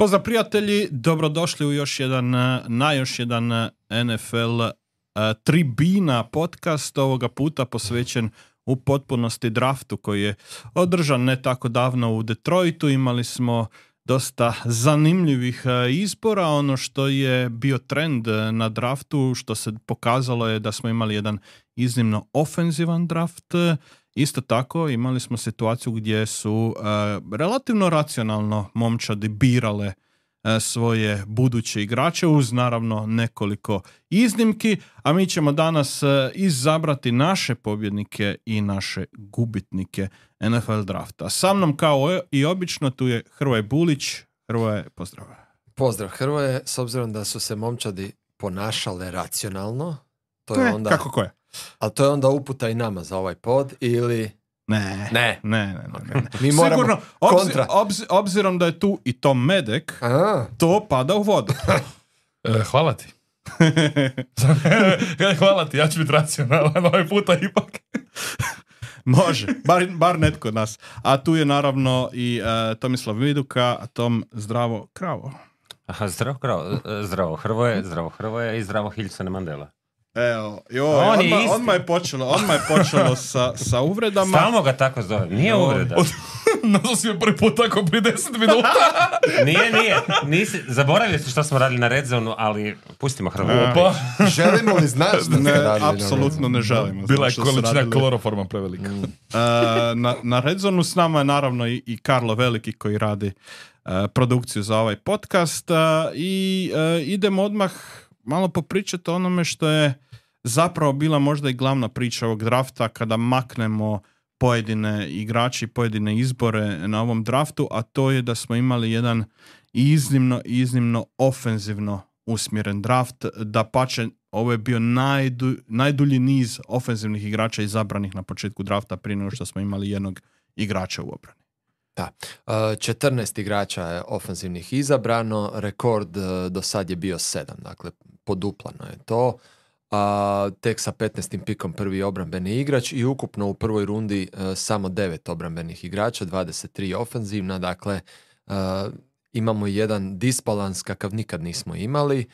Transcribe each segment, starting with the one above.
Pozdrav prijatelji, dobrodošli u još jedan NFL tribina podcast, ovoga puta posvećen u potpunosti draftu koji je održan ne tako davno u Detroitu. Imali smo dosta zanimljivih izbora. Ono što je bio trend na draftu, što se pokazalo je da smo imali jedan iznimno ofenzivan draft. Isto tako imali smo situaciju gdje su relativno racionalno momčadi birale svoje buduće igrače uz naravno nekoliko iznimki, a mi ćemo danas izabrati naše pobjednike i naše gubitnike NFL drafta. Sa mnom kao i obično tu je Hrvoje Bulić. Hrvoje, pozdrav. Pozdrav Hrvoje, s obzirom da su se momčadi ponašale racionalno, to je onda... Kako ko je? Ali to je onda uputa i nama za ovaj pod ili... Ne. Mi moramo sigurno, kontra. Obzirom da je tu i Tom Medek, to pada u vodu. Hvala ti. Hvala ti, ja ću biti racionalan ovaj puta ipak. Može, bar netko od nas. A tu je naravno i Tomislav Viduka, a Tom zdravo kravo. Aha, zdravo Hrvoje i zdravo Hilsone Mandela. Evo, odmah je počelo sa uvredama. Stalno ga tako zove, nije uvreda. Nazvao si me prvi put tako prije 10 minuta. Nije. Zaboravili ste što smo radili na Red Zone-u, ali pustimo Hrvoju. Želimo li znaš da ste radili? Apsolutno ne želimo. Bila je količina kloroforma prevelika. Na Red Zone-u s nama je naravno i Karlo Veliki koji radi produkciju za ovaj podcast. I idemo odmah malo popričati o onome što je zapravo bila možda i glavna priča ovog drafta kada maknemo pojedine igrači, pojedine izbore na ovom draftu, a to je da smo imali jedan iznimno ofenzivno usmjeren draft. Dapače, ovo je bio najdulji niz ofenzivnih igrača izabranih na početku drafta prije nego što smo imali jednog igrača u obrani. Da, 14 igrača je ofenzivnih izabrano, rekord do sad je bio 7, dakle poduplano je to. Tek sa 15. pikom prvi obrambeni igrač i ukupno u prvoj rundi samo 9 obrambenih igrača, 23 ofenzivna, dakle imamo jedan disbalans kakav nikad nismo imali.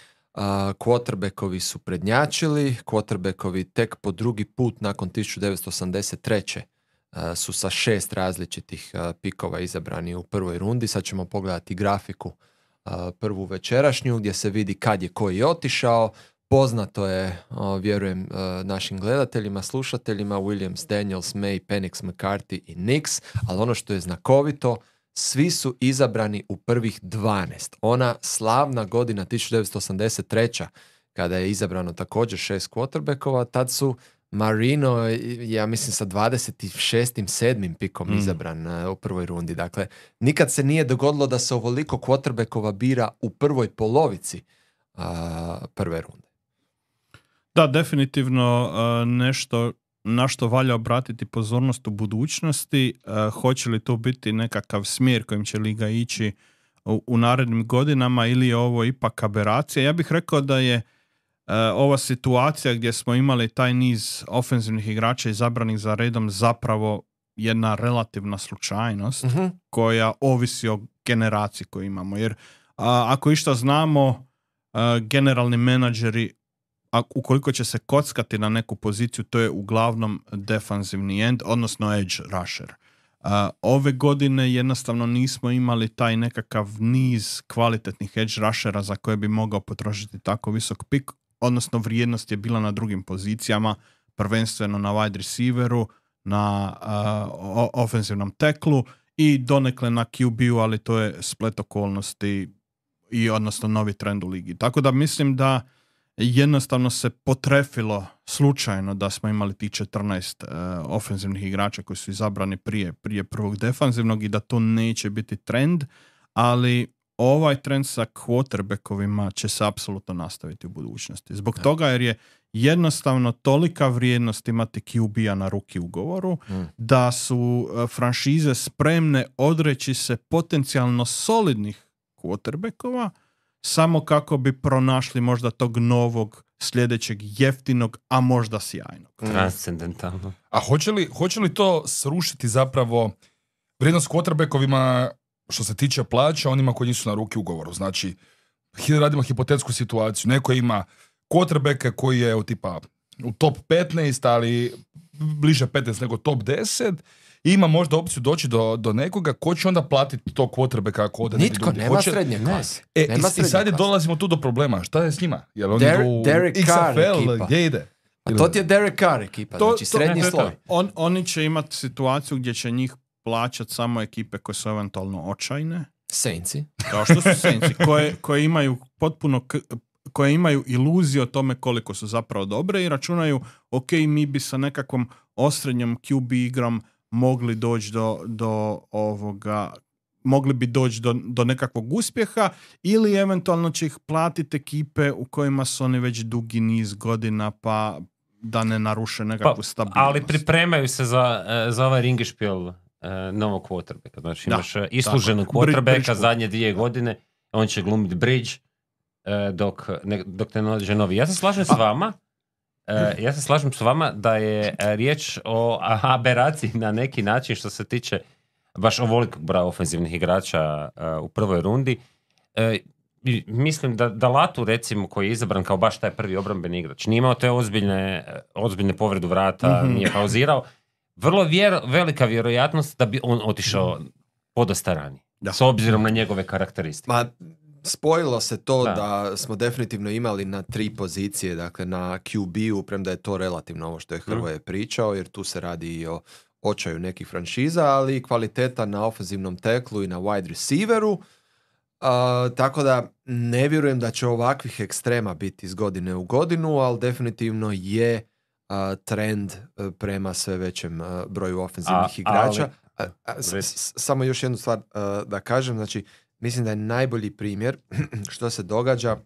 Quarterbackovi su prednjačili, quarterbackovi tek po drugi put nakon 1983. Su sa 6 različitih pikova izabrani u prvoj rundi. Sad ćemo pogledati grafiku prvu večerašnju gdje se vidi kad je koji otišao. Poznato je, vjerujem, našim gledateljima, slušateljima, Williams, Daniels, May, Penix, McCarthy i Nix, ali ono što je znakovito, svi su izabrani u prvih 12. Ona slavna godina 1983. kada je izabrano također 6 quarterbackova, tad su Marino, ja mislim sa 26. 7. pikom izabran u prvoj rundi. Dakle, nikad se nije dogodilo da se ovoliko quarterbackova bira u prvoj polovici prve runde. Da, definitivno nešto na što valja obratiti pozornost u budućnosti. Hoće li to biti nekakav smjer kojim će liga ići u narednim godinama ili je ovo ipak aberacija? Ja bih rekao da je ova situacija gdje smo imali taj niz ofenzivnih igrača izabranih za redom zapravo jedna relativna slučajnost koja ovisi o generaciji koju imamo. Jer ako išta znamo, generalni menadžeri, ukoliko će se kockati na neku poziciju, to je uglavnom defanzivni end, odnosno edge rusher. Ove godine jednostavno nismo imali taj nekakav niz kvalitetnih edge rushera za koje bi mogao potrošiti tako visok pik, odnosno vrijednost je bila na drugim pozicijama, prvenstveno na wide receiveru, na ofenzivnom teklu i donekle na QB-u, ali to je splet okolnosti i odnosno novi trend u ligi. Tako da mislim da jednostavno se potrefilo slučajno da smo imali ti 14 ofenzivnih igrača koji su izabrani prije prvog defanzivnog i da to neće biti trend, ali ovaj trend sa quarterbackovima će se apsolutno nastaviti u budućnosti. Zbog toga jer je jednostavno tolika vrijednost imati QB-a na ruki ugovoru da su franšize spremne odreći se potencijalno solidnih quarterbackova samo kako bi pronašli možda tog novog, sljedećeg jeftinog, a možda sjajnog. Transcendentalno. A hoće li to srušiti zapravo vrijednost quarterbackovima što se tiče plaća onima koji nisu na ruki ugovoru. Znači, radimo hipotetsku situaciju. Neko ima quarterbacka koji je u top 15, ali bliže 15 nego top 10, i ima možda opciju doći do nekoga ko će onda platiti tog quarterbacka ako ode negdje Nitko, drugdje. nema srednje klase. I sad je dolazimo tu do problema. Šta je s njima? Jel oni idu u Derek Carr XFL, ekipa. gdje ide? A to ti je Derek Carr ekipa, znači srednji sloj. Oni će imati situaciju gdje će njih plaćati samo ekipe koje su eventualno očajne. Saintsi. Kao što su Saintsi, koje imaju potpuno koje imaju iluziju o tome koliko su zapravo dobre i računaju, ok, mi bi sa nekakvom osrednjom QB igrom mogli doći mogli bi doći do nekakvog uspjeha, ili eventualno će ih platiti ekipe u kojima su oni već dugi niz godina, pa da ne naruše nekakvu stabilnost. Ali pripremaju se za ovaj ringišpil novog quarterbacka. Znači imaš isluženog quarterbacka zadnje 2 godine, on će glumiti bridge dok ne nađe novi. Ja se slažem s vama da je riječ o aberaciji na neki način što se tiče baš ovolikog broja ofenzivnih igrača u prvoj rundi. Mislim da Latu, recimo, koji je izabran kao baš taj prvi obrambeni igrač, nije imao te ozbiljne povredu vrata, nije pauzirao, vrlo velika vjerojatnost da bi on otišao podosta ranije, s obzirom na njegove karakteristike. Spojilo se to da smo definitivno imali na 3 pozicije, dakle na QB-u, premda je to relativno ovo što je Hrvoje pričao, jer tu se radi i o očaju nekih franšiza, ali i kvaliteta na ofenzivnom teklu i na wide receiveru. Tako da ne vjerujem da će ovakvih ekstrema biti iz godine u godinu, ali definitivno je trend prema sve većem broju ofenzivnih igrača. Samo još jednu stvar da kažem, znači mislim da je najbolji primjer što se događa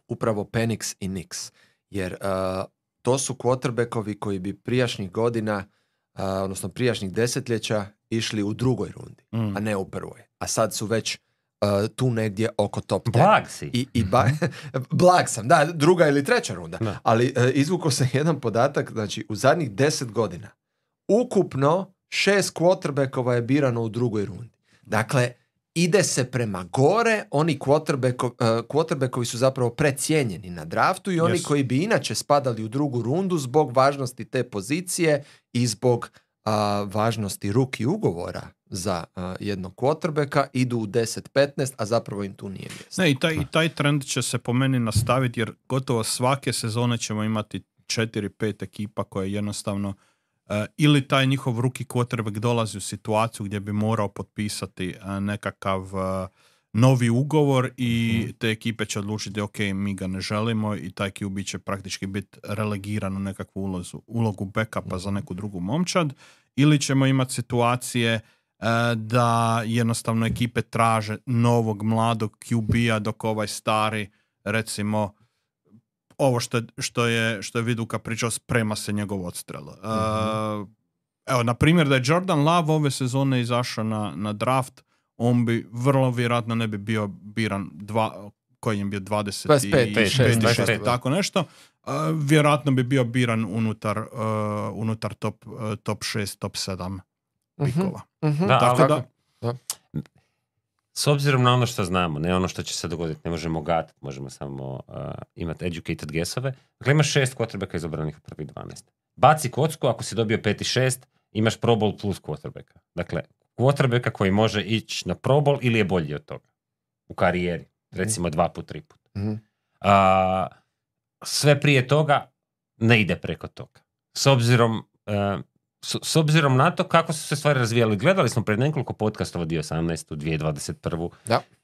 upravo Penix i Nix, jer to su quarterbackovi koji bi prijašnjih godina, odnosno prijašnjih desetljeća išli u drugoj rundi, a ne u prvoj. A sad su već tu negdje oko top 10. Blag si. Blag sam, da, 2. ili 3. runda. Da. Ali izvukao sam jedan podatak, znači u zadnjih 10 godina ukupno 6 quarterbackova je birano u drugoj rundi. Dakle, ide se prema gore, oni quarterbackovi su zapravo precijenjeni na draftu i oni koji bi inače spadali u drugu rundu zbog važnosti te pozicije i zbog važnosti rookie ugovora za jednog quarterbacka idu u 10-15, a zapravo im tu nije mjesto. Ne, i taj trend će se po meni nastaviti, jer gotovo svake sezone ćemo imati 4-5 ekipa koje jednostavno ili taj njihov rookie quarterback dolazi u situaciju gdje bi morao potpisati nekakav novi ugovor i te ekipe će odlučiti ok, mi ga ne želimo i taj QB će praktički biti relegiran u nekakvu ulogu backupa za neku drugu momčad, ili ćemo imati situacije da jednostavno ekipe traže novog mladog QB-a dok ovaj stari, recimo ovo što je Viduka pričao, sprema se njegov odstrel. Evo, na primjer, da je Jordan Love ove sezone izašao na draft, on bi vrlo vjerojatno ne bi bio biran koji je bio 25, tako nešto. Vjerojatno bi bio biran unutar top 6, top 7 pikova. Tako da. S obzirom na ono što znamo, ne ono što će se dogoditi, ne možemo gatati, možemo samo imati educated guessove. Dakle, imaš 6 quarterbacka izabranih u prvih 12. Baci kocku, ako si dobio 5 i 6, imaš Pro Bowl plus quarterbacka. Dakle, quarterbacka koji može ići na Pro Bowl ili je bolji od toga u karijeri. Recimo 2 put, 3 put. Sve prije toga ne ide preko toga. S obzirom na to kako su se stvari razvijali. Gledali smo pred nekoliko podcastova 2018.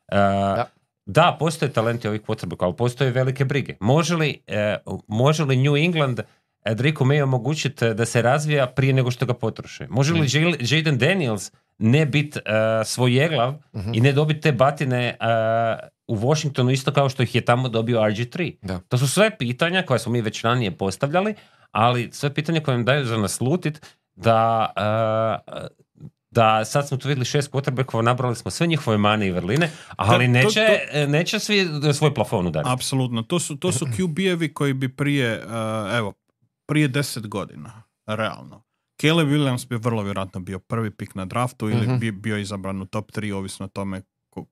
2021. Da, postoje talenti ovih quarterbacka, ali postoje velike brige. Može li New England Draco May omogućiti da se razvija prije nego što ga potroše? Može li Jaden Daniels ne biti svojeglav i ne dobiti te batine u Washingtonu isto kao što ih je tamo dobio RG3? Da. To su sve pitanja koje smo mi već ranije postavljali, ali sve pitanja koje nam daju za naslutit da sad smo tu vidjeli 6 quarterbackova, nabrali smo sve njihove mane i vrline, ali neće svi svoj plafon udariti. Apsolutno, to su QB-evi koji bi prije 10 godina, realno, Caleb Williams bi vrlo vjerojatno bio prvi pik na draftu ili bi bio izabran u top 3, ovisno o tome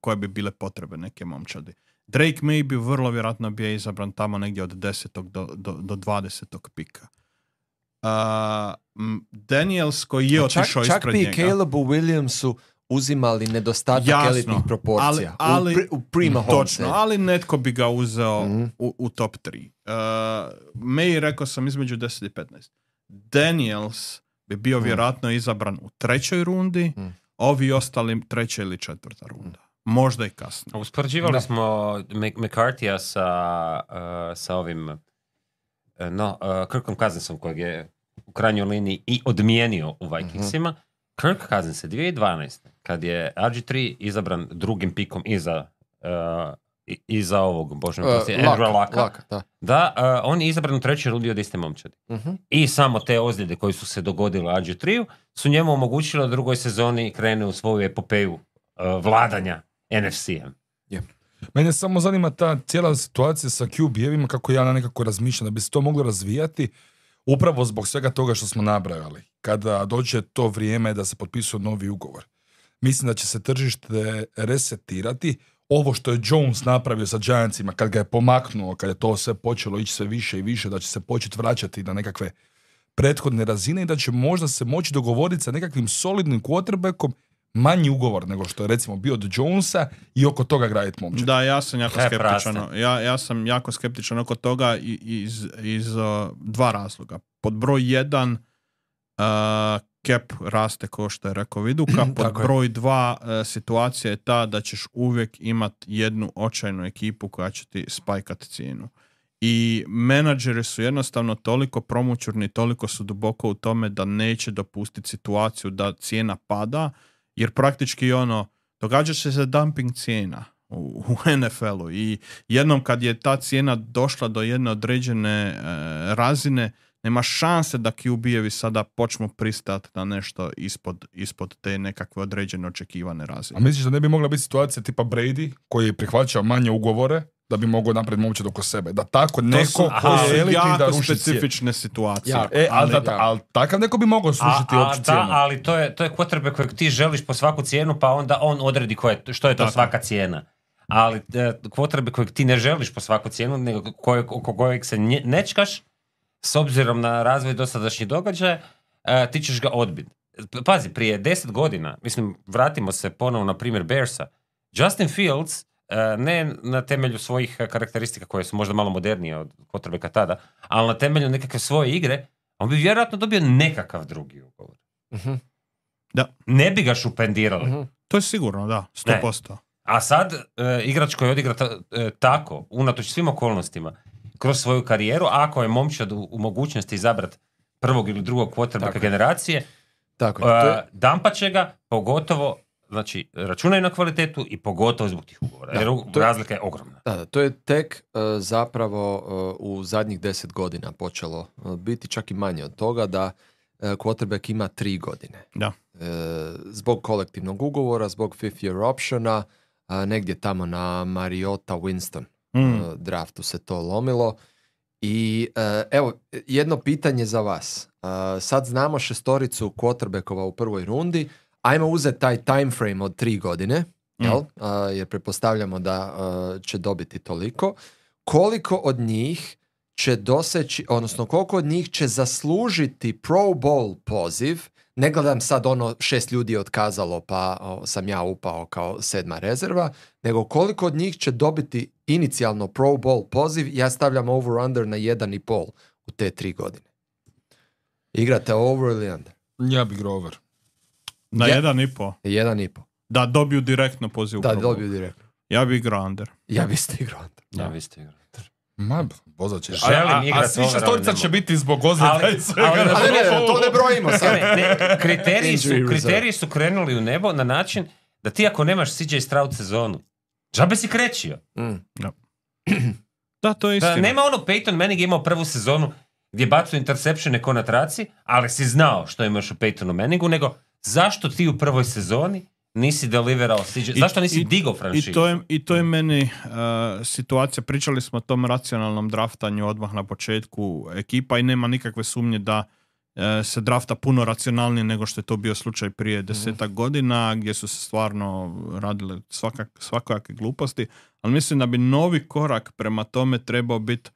koje bi bile potrebe neke momčadi. Drake May bi vrlo vjerojatno bio izabran tamo negdje od 10. do 20. pika. Daniels koji je otišao ispred njega. Čak bi Calebu Williamsu uzimali nedostatak elitnih proporcija u prima home. Točno, ali netko bi ga uzeo u top 3. May rekao sam između 10 i 15. Daniels bi bio vjerojatno izabran u 3. rundi, ovi ostali 3. ili 4. runda. Možda i kasnije. Uspoređivali smo McCarthyja sa ovim Kirkom Cousinsom kojeg je u krajnjoj liniji i odmijenio u Vikingsima. Kirk Cousins je 2012. kad je RG3 izabran drugim pikom iza ovog Andrew Lucka. On je izabran u 3. rundi od iste momčadi. I samo te ozljede koje su se dogodile RG3 su njemu omogućile da u drugoj sezoni krene u svoju epopeju vladanja NFC-em. Yeah. Mene samo zanima ta cijela situacija sa QB-evima, kako ja nekako razmišljam da bi se to moglo razvijati upravo zbog svega toga što smo nabrajali. Kada dođe to vrijeme da se potpisuje novi ugovor. Mislim da će se tržište resetirati. Ovo što je Jones napravio sa Giantsima, kad ga je pomaknuo, kad je to sve počelo ići sve više i više, da će se početi vraćati na nekakve prethodne razine i da će možda se moći dogovoriti sa nekakvim solidnim quarterbackom manji ugovor nego što je recimo bio od Jonesa i oko toga graditi momčad. Da, ja sam jako skeptičan. Ja sam jako skeptičan oko toga iz dva razloga. Pod broj 1 cap raste kao što je rekao Viduka. Pod broj 2 situacija je ta da ćeš uvijek imati jednu očajnu ekipu koja će ti spajkat cijenu. I menadžeri su jednostavno toliko promućurni, toliko su duboko u tome da neće dopustiti situaciju da cijena pada, jer praktički događa se dumping cijena u NFL-u i jednom kad je ta cijena došla do jedne određene razine, nema šanse da QB-evi sada počnu pristati na nešto ispod te nekakve određene očekivane razine. A misliš da ne bi mogla biti situacija tipa Brady koji je prihvaćao manje ugovore da bi mogao napraviti momčad oko sebe? Da tako neko koji je elitni da ruši specifične situacije. Ali takav neko bi mogao srušiti opću cijenu. Ali to je quarterback kojeg ti želiš po svaku cijenu, pa onda on odredi što je to svaka cijena. Ali quarterback kojeg ti ne želiš po svaku cijenu, nego oko kojeg se nečkaš, s obzirom na razvoj dosadašnjih događaja, ti ćeš ga odbiti. Pazi, prije 10 godina, vratimo se ponovo na primjer Bearsa, Justin Fields, ne na temelju svojih karakteristika koje su možda malo modernije od quarterbacka tada, ali na temelju nekakve svoje igre, on bi vjerojatno dobio nekakav drugi ugovor. Da. Ne bi ga šupendirali. To je sigurno, da, 100%. A sad, igrač koji odigra tako, unatoč svim okolnostima, kroz svoju karijeru, ako je momčad u mogućnosti izabrati prvog ili drugog quarterbacka generacije, dampat će ga, pogotovo, znači, računaju na kvalitetu i pogotovo zbog tih ugovora, jer razlika je ogromna. Da, to je tek zapravo u zadnjih 10 godina počelo biti, čak i manje od toga, da quarterback ima 3 godine. Da. Zbog kolektivnog ugovora, zbog fifth year optiona, negdje tamo na Mariota Winston draftu se to lomilo. I evo, jedno pitanje za vas. Sad znamo 6 quarterbackova u prvoj rundi. Ajmo uzeti taj time frame od 3 godine, jel? Jer pretpostavljamo da će dobiti toliko. Koliko od njih će doseći, odnosno koliko od njih će zaslužiti Pro Bowl poziv? Ne gledam sad 6 ljudi je otkazalo pa sam ja upao kao 7. rezerva, nego koliko od njih će dobiti inicijalno Pro Bowl poziv, ja stavljam over-under na 1,5 u te 3 godine. Igrate over ili under? Ja bih igrao over. Na 1,5? 1,5. Da dobiju direktno poziv. Da, dobiju direktno. Ja bih igrao under. Ja bih igrao under. Ja bih igrao under. Ma, bozat ćeš. A svi 6 će biti zbog ozljeda i svega. Ali to ne brojimo sad. Kriteriji su krenuli u nebo na način da ti ako nemaš CJ Stroud sezonu, džabe si krećio. Da, to je istina. Nema Peyton Manning imao prvu sezonu gdje bacu interceptione ko na traci, ali si znao što imaš u Peytonu Manningu, nego zašto ti u prvoj sezoni nisi deliverao CJ? Zašto nisi digao franšizu? I to je meni situacija. Pričali smo o tom racionalnom draftanju odmah na početku ekipa i nema nikakve sumnje da se drafta puno racionalnije nego što je to bio slučaj prije 10 godina, gdje su se stvarno radile svakakve gluposti, ali mislim da bi novi korak prema tome trebao biti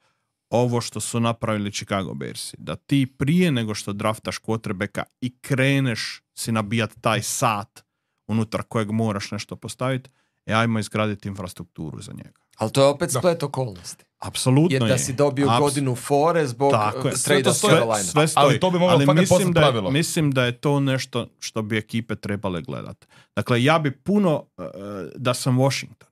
ovo što su napravili Chicago Bearsi. Da ti prije nego što draftaš quarterbacka i kreneš si nabijati taj sat unutar kojeg moraš nešto postaviti, ajmo izgraditi infrastrukturu za njega. Ali to je opet splet okolnosti. Apsolutno je. Jer da si dobio godinu fore zbog trade-a Carolina. Sve stoji. Ali to bi moglo postati pravilo. Mislim da je to nešto što bi ekipe trebale gledati. Dakle, ja bi puno, da sam Washington,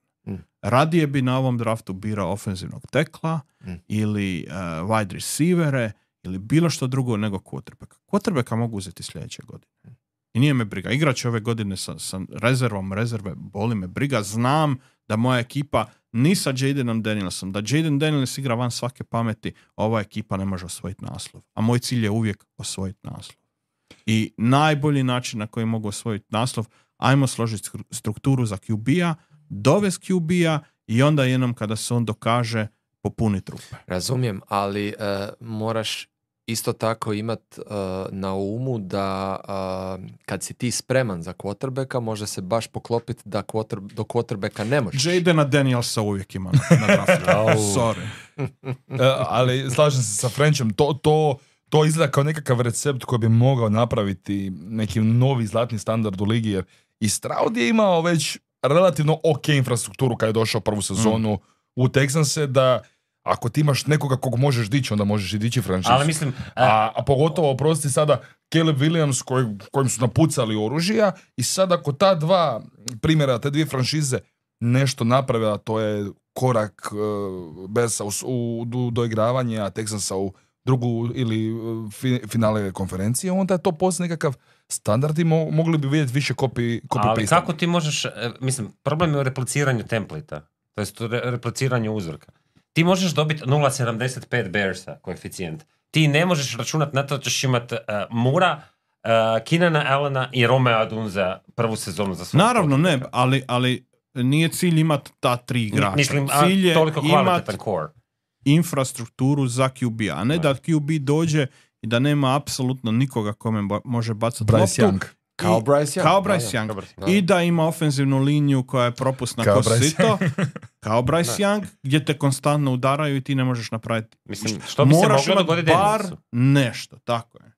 radije bi na ovom draftu birao ofenzivnog tekla ili wide receivere ili bilo što drugo nego quarterbacka. Quarterbacka mogu uzeti sljedeće godine. I nije me briga. Igrač ove godine sa rezerve, boli me briga. Znam da moja ekipa ni sa Jadenom Danielsom, da Jaden Daniels igra van svake pameti, ova ekipa ne može osvojiti naslov. A moj cilj je uvijek osvojiti naslov. I najbolji način na koji mogu osvojiti naslov, ajmo složiti strukturu za QB-a, dovesti QB-a i onda jednom kada se on dokaže popuniti rupe. Razumijem, ali moraš isto tako imat na umu da kad si ti spreman za quarterbacka, može se baš poklopiti da do quarterbacka ne možeš. Jadena Danielsa uvijek ima na draftu. Sorry. Ali slažem se sa Frenchom, to izgleda kao nekakav recept koji bi mogao napraviti neki novi zlatni standard u ligi, jer i Stroud je imao već relativno ok infrastrukturu kad je došao prvu sezonu u Texanse, da ako ti imaš nekoga kog možeš dići, onda možeš i dići franšizu. Ali mislim... A pogotovo, oprosti sada, Caleb Williams kojim su napucali oružja i sad ako ta dva primjera, te dvije franšize nešto naprave, a to je korak Bearsa u doigravanje, a Texansa u drugu ili finale konferencije, onda je to poslije nekakav standard i mogli bi vidjeti više copy ali kako ti možeš, mislim, problem je u repliciranju templita, to jest u repliciranju uzorka. Ti možeš dobiti 0,75 Bearsa koeficijent. Ti ne možeš računati na to da ćeš imati Mura, Keenana Allena i Romea Dunza prvu sezonu za svoj. Naravno ne, ali nije cilj imati ta tri igrača. Mislim, cilj je toliko kvalitetan core. Infrastrukturu za QB, a ne da QB dođe i da nema apsolutno nikoga kome može bacati Bryce loptu. Young. Kao Bryce Young. I da ima ofenzivnu liniju koja je propusna kao sito. Kao Bryce Young, gdje te konstantno udaraju i ti ne možeš napraviti. Mislim, što bi moraš se moglo dogoditi bar nešto, tako je.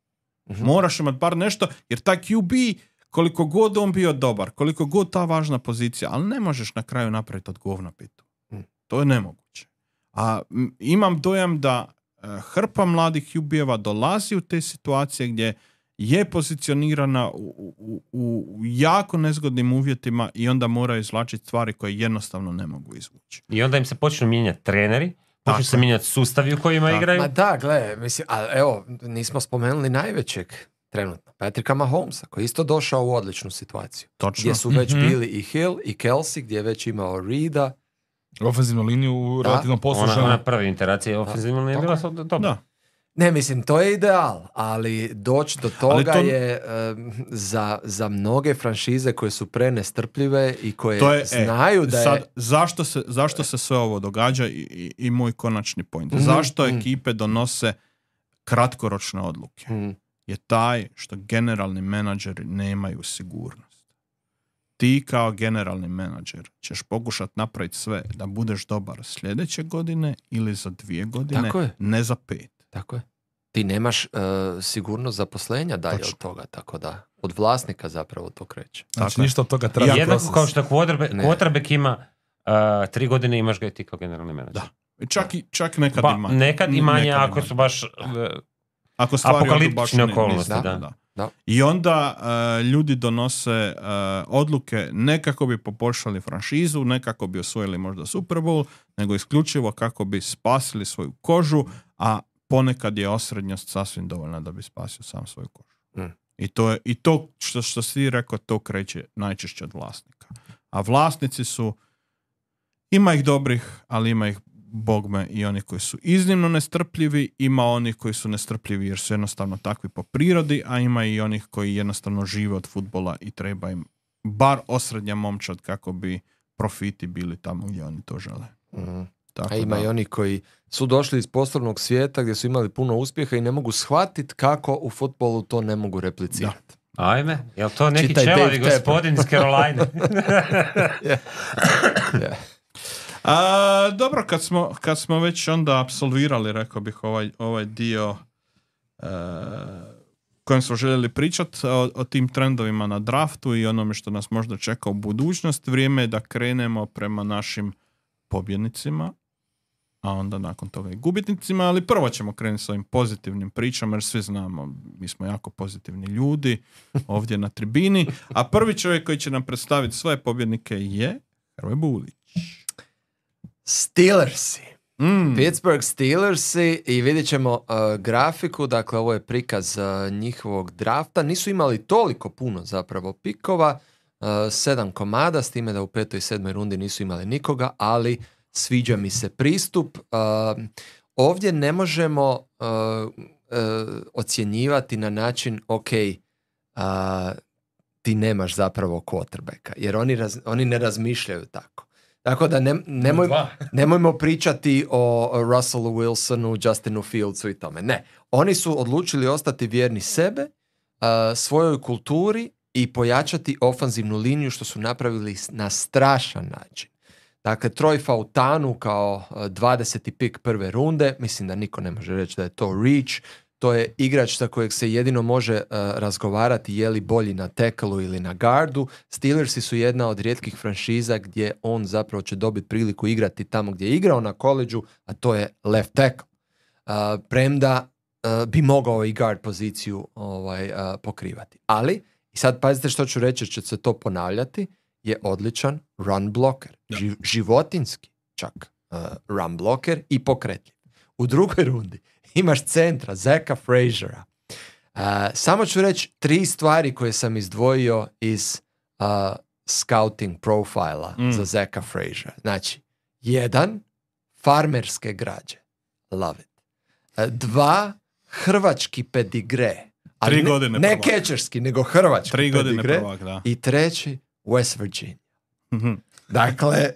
Moraš imati bar nešto, jer taj QB, koliko god on bio dobar, koliko god ta važna pozicija, ali ne možeš na kraju napraviti od govna pitu. To je nemoguće. A imam dojam da hrpa mladih QB-eva dolazi u te situacije gdje je pozicionirana u jako nezgodnim uvjetima i onda mora izvlačiti stvari koje jednostavno ne mogu izvući. I onda im se počnu mijenjati treneri, počnu se mijenjati sustavi u kojima igraju. Ma da, gle, mislim, ali evo, nismo spomenuli najvećeg trenutno, Patricka Mahomesa, koji je isto došao u odličnu situaciju. Točno. Gdje su već bili i Hill i Kelsey, gdje je već imao Reeda. Ofenzivnu liniju relativno poslušana. Ona prva interacija ofenzivna nije bila dobro. Da. Ne, mislim, to je ideal, ali doći do toga je za mnoge franšize koje su prenestrpljive i koje znaju da sad, je... Zašto se sve ovo događa i moj konačni point? Zašto ekipe donose kratkoročne odluke? Je taj što generalni menadžeri nemaju sigurnost. Ti kao generalni menadžer ćeš pokušati napraviti sve da budeš dobar sljedeće godine ili za 2 godine, ne za 5. Tako je. Ti nemaš sigurnost zaposlenja dalje od toga, tako da od vlasnika zapravo to kreće. Znači ništa od toga treba jednako proces. kao što quarterback ima 3 godine imaš ga i ti kao generalni menadžer. Da. Čak nekad ima. Nekad i manje ako su baš apokaliptične okolnosti. Da. I onda ljudi donose odluke ne kako bi poboljšali franšizu, ne kako bi osvojili možda Super Bowl, nego isključivo kako bi spasili svoju kožu, a ponekad je osrednjost sasvim dovoljna da bi spasio sam svoju kožu. I to što si rekao, to kreće najčešće od vlasnika. A vlasnici su, ima ih dobrih, ali ima ih bogme i oni koji su iznimno nestrpljivi, ima onih koji su nestrpljivi jer su jednostavno takvi po prirodi, a ima i onih koji jednostavno žive od fudbala i treba im bar osrednja momčad kako bi profiti bili tamo gdje oni to žele. A ima i oni koji su došli iz poslovnog svijeta gdje su imali puno uspjeha i ne mogu shvatiti kako u fudbalu to ne mogu replicirati. Ajme, je li to neki čelavi gospodin iz Caroline? Dobro, kad smo već onda apsolvirali, rekao bih, ovaj dio kojem smo željeli pričati o tim trendovima na draftu i onome što nas možda čeka u budućnost, vrijeme je da krenemo prema našim pobjednicima, a onda nakon toga i gubitnicima, ali prvo ćemo krenuti s ovim pozitivnim pričama, jer svi znamo, mi smo jako pozitivni ljudi ovdje na tribini, a prvi čovjek koji će nam predstaviti svoje pobjednike je Hrvoje Bulić. Steelersi. Pittsburgh Steelersi i vidjet ćemo grafiku, dakle ovo je prikaz njihovog drafta. Nisu imali toliko puno zapravo pikova, 7 komada, s time da u 5. i 7. rundi nisu imali nikoga, ali sviđa mi se pristup. Ovdje ne možemo ocjenjivati na način ok, ti nemaš zapravo quarterbacka, jer oni ne razmišljaju tako. Tako da nemojmo pričati o Russellu Wilsonu, Justinu Fieldsu i tome. Ne, oni su odlučili ostati vjerni sebe, svojoj kulturi i pojačati ofanzivnu liniju, što su napravili na strašan način. Dakle, Troy Fautanu kao 20. pik prve runde, mislim da niko ne može reći da je to reach. To je igrač sa kojeg se jedino može razgovarati je li bolji na tackle-u ili na gardu. Steelersi su jedna od rijetkih franšiza gdje on zapravo će dobiti priliku igrati tamo gdje je igrao na koleđu, a to je left tackle. Premda bi mogao i guard poziciju pokrivati. Ali, i sad pazite što ću reći, će se to ponavljati, je odličan run blocker. Životinski čak run blocker i pokretljiv. U drugoj rundi imaš centra, Zacka Fraziera. Samo ću reći 3 stvari koje sam izdvojio iz scouting profila za Zacka Fraziera. Znači, 1, farmerske građe. Love it. 2, hrvački pedigre. 3 godine ne catcherski, nego hrvački 3 godine pedigre. prvak, da. I 3, West Virginia. Dakle,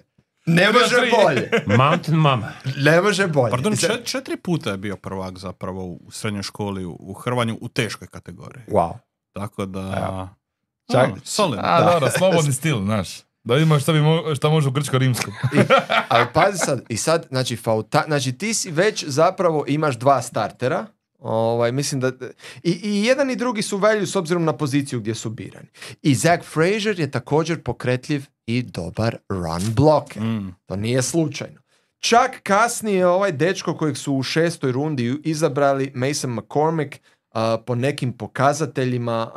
ne može bolje. Mountain Mama. Ne može bolje. Pardon, 4 puta je bio prvak zapravo u srednjoj školi u Hrvanju u teškoj kategoriji. Wow. Tako da... solidno. Dobro, slobodni stil, znaš. Da vidimo šta može u grčko-rimskom. Ali pazi sad, i sad, znači ti si već zapravo imaš 2 startera. Mislim da i jedan i drugi su value s obzirom na poziciju gdje su birani. I Zach Frazier je također pokretljiv i dobar run blocker. To nije slučajno. Čak kasnije ovaj dečko kojeg su u 6. rundi izabrali, Mason McCormick, po nekim pokazateljima,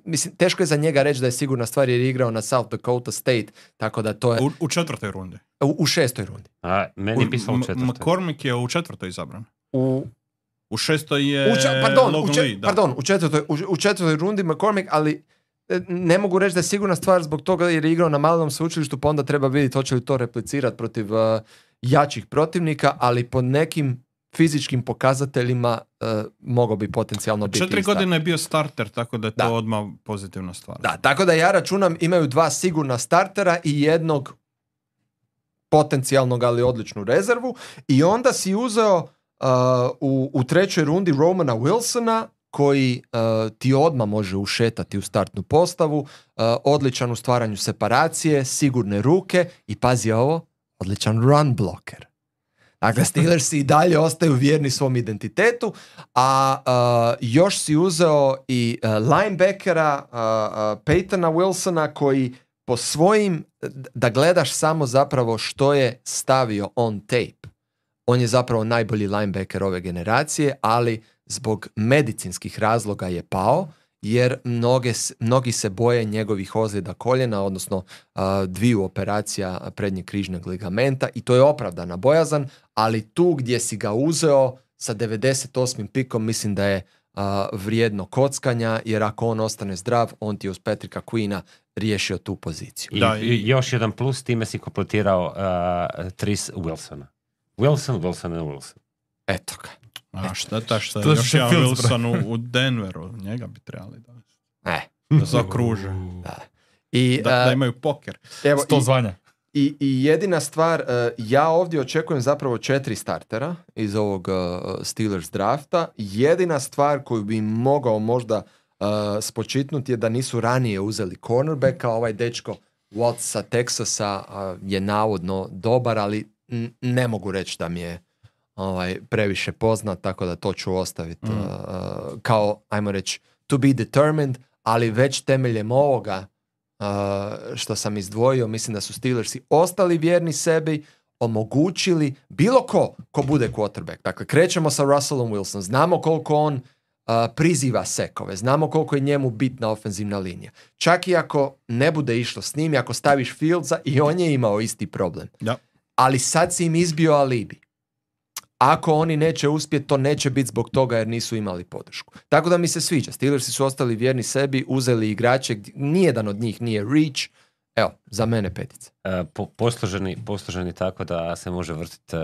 mislim, teško je za njega reći da je sigurna stvar jer je igrao na South Dakota State, tako da to je... U 4. rundi. U 6. rundi. Meni je pisalo u 4. McCormick je u 4. izabran. U 6. je u 4. rundi McCormick, ali ne mogu reći da je sigurna stvar zbog toga jer je igrao na malom sveučilištu, pa onda treba vidjeti hoće li to replicirati protiv jačih protivnika, ali po nekim fizičkim pokazateljima mogao bi potencijalno biti 4 godine je bio starter, tako da je to odmah pozitivna stvar. Da, tako da ja računam imaju 2 sigurna startera i jednog potencijalnog, ali odličnu rezervu, i onda si uzeo u 3. rundi Romana Wilsona, koji ti odmah može ušetati u startnu postavu, odličan u stvaranju separacije, sigurne ruke i pazi ovo, odličan run blocker. Dakle, Steelersi i dalje ostaju vjerni svom identitetu, a još si uzeo i linebackera Peytona Wilsona, koji po svojim, da gledaš samo zapravo što je stavio on tape. On je zapravo najbolji linebacker ove generacije, ali zbog medicinskih razloga je pao, jer mnogi se boje njegovih ozljeda koljena, odnosno 2 operacija prednjeg križnog ligamenta, i to je opravdana bojazan, ali tu gdje si ga uzeo sa 98. pikom mislim da je vrijedno kockanja, jer ako on ostane zdrav, on ti uz Patricka Queena riješio tu poziciju. I još jedan plus, time si kompletirao Tris Wilsona. Wilson. Eto ga. A šteta što je još jedan Wilson u Denveru. Njega bi trebali da zaokruže. Da. Da imaju poker. Evo, 100 zvanja. I jedina stvar, ja ovdje očekujem zapravo 4 startera iz ovog Steelers drafta. Jedina stvar koju bi mogao možda spočitnuti je da nisu ranije uzeli cornerbacka. Ovaj dečko Watts sa Texasa je navodno dobar, ali ne mogu reći da mi je previše poznat, tako da to ću ostaviti kao, ajmo reći, to be determined, ali već temeljem ovoga što sam izdvojio, mislim da su Steelersi ostali vjerni sebi, omogućili bilo ko bude quarterback. Dakle, krećemo sa Russellom Wilson, znamo koliko on priziva sekove, znamo koliko je njemu bitna ofenzivna linija. Čak i ako ne bude išlo s njim, ako staviš Fieldsa, i on je imao isti problem. Da. Ali sad si im izbio alibi. Ako oni neće uspjeti, to neće biti zbog toga jer nisu imali podršku. Tako da mi se sviđa. Steelersi su ostali vjerni sebi, uzeli igrače, nijedan od njih nije reach. Evo, za mene 5. Posloženi tako da se može vrtiti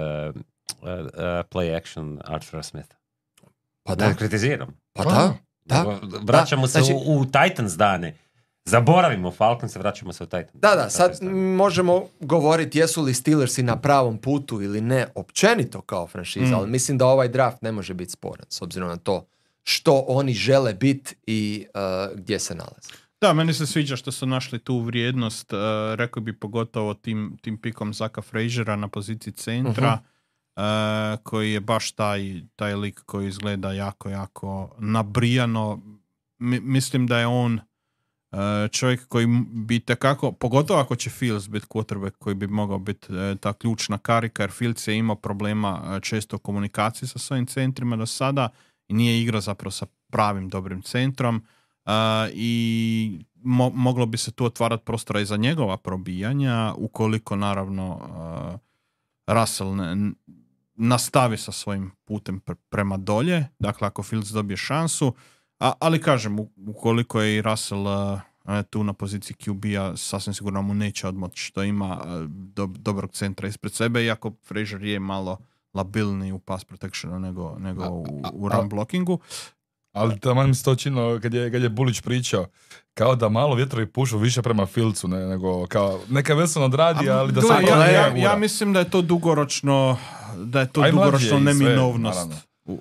play action Arthura Smitha. Pa da. Kritiziram. Pa da. Vraćamo se u Titans dane. Zaboravimo Falcons, vraćamo se u Titans. Da, sad možemo govoriti jesu li Steelersi na pravom putu ili ne, općenito kao franšiza, ali mislim da ovaj draft ne može biti sporan, s obzirom na to što oni žele biti i gdje se nalaze. Da, meni se sviđa što su našli tu vrijednost, rekao bi pogotovo tim pikom Zaka Fraziera na poziciji centra, koji je baš taj lik koji izgleda jako nabrijano. Mislim da je on čovjek koji bi tekako, pogotovo ako će Fields biti quarterback koji bi mogao biti ta ključna karika, jer Fields je imao problema često u komunikaciji sa svojim centrima do sada i nije igrao zapravo sa pravim dobrim centrom i moglo bi se tu otvarati prostora i za njegova probijanja ukoliko naravno Russell nastavi sa svojim putem prema dolje, dakle ako Fields dobije šansu. Ali kažem, ukoliko je i Russell tu na poziciji QB-a, sasvim sigurno mu neće odmoći što ima dobrog centra ispred sebe, iako Frazier je malo labilniji u pass protectionu nego u run blockingu. Ali tamo mi se to činilo kad je Bulić pričao, kao da malo vjetrovi pušu više prema Fieldsu nego kao neka Wilson odradi, ali da sad ja mislim da je to dugoročno neminovnost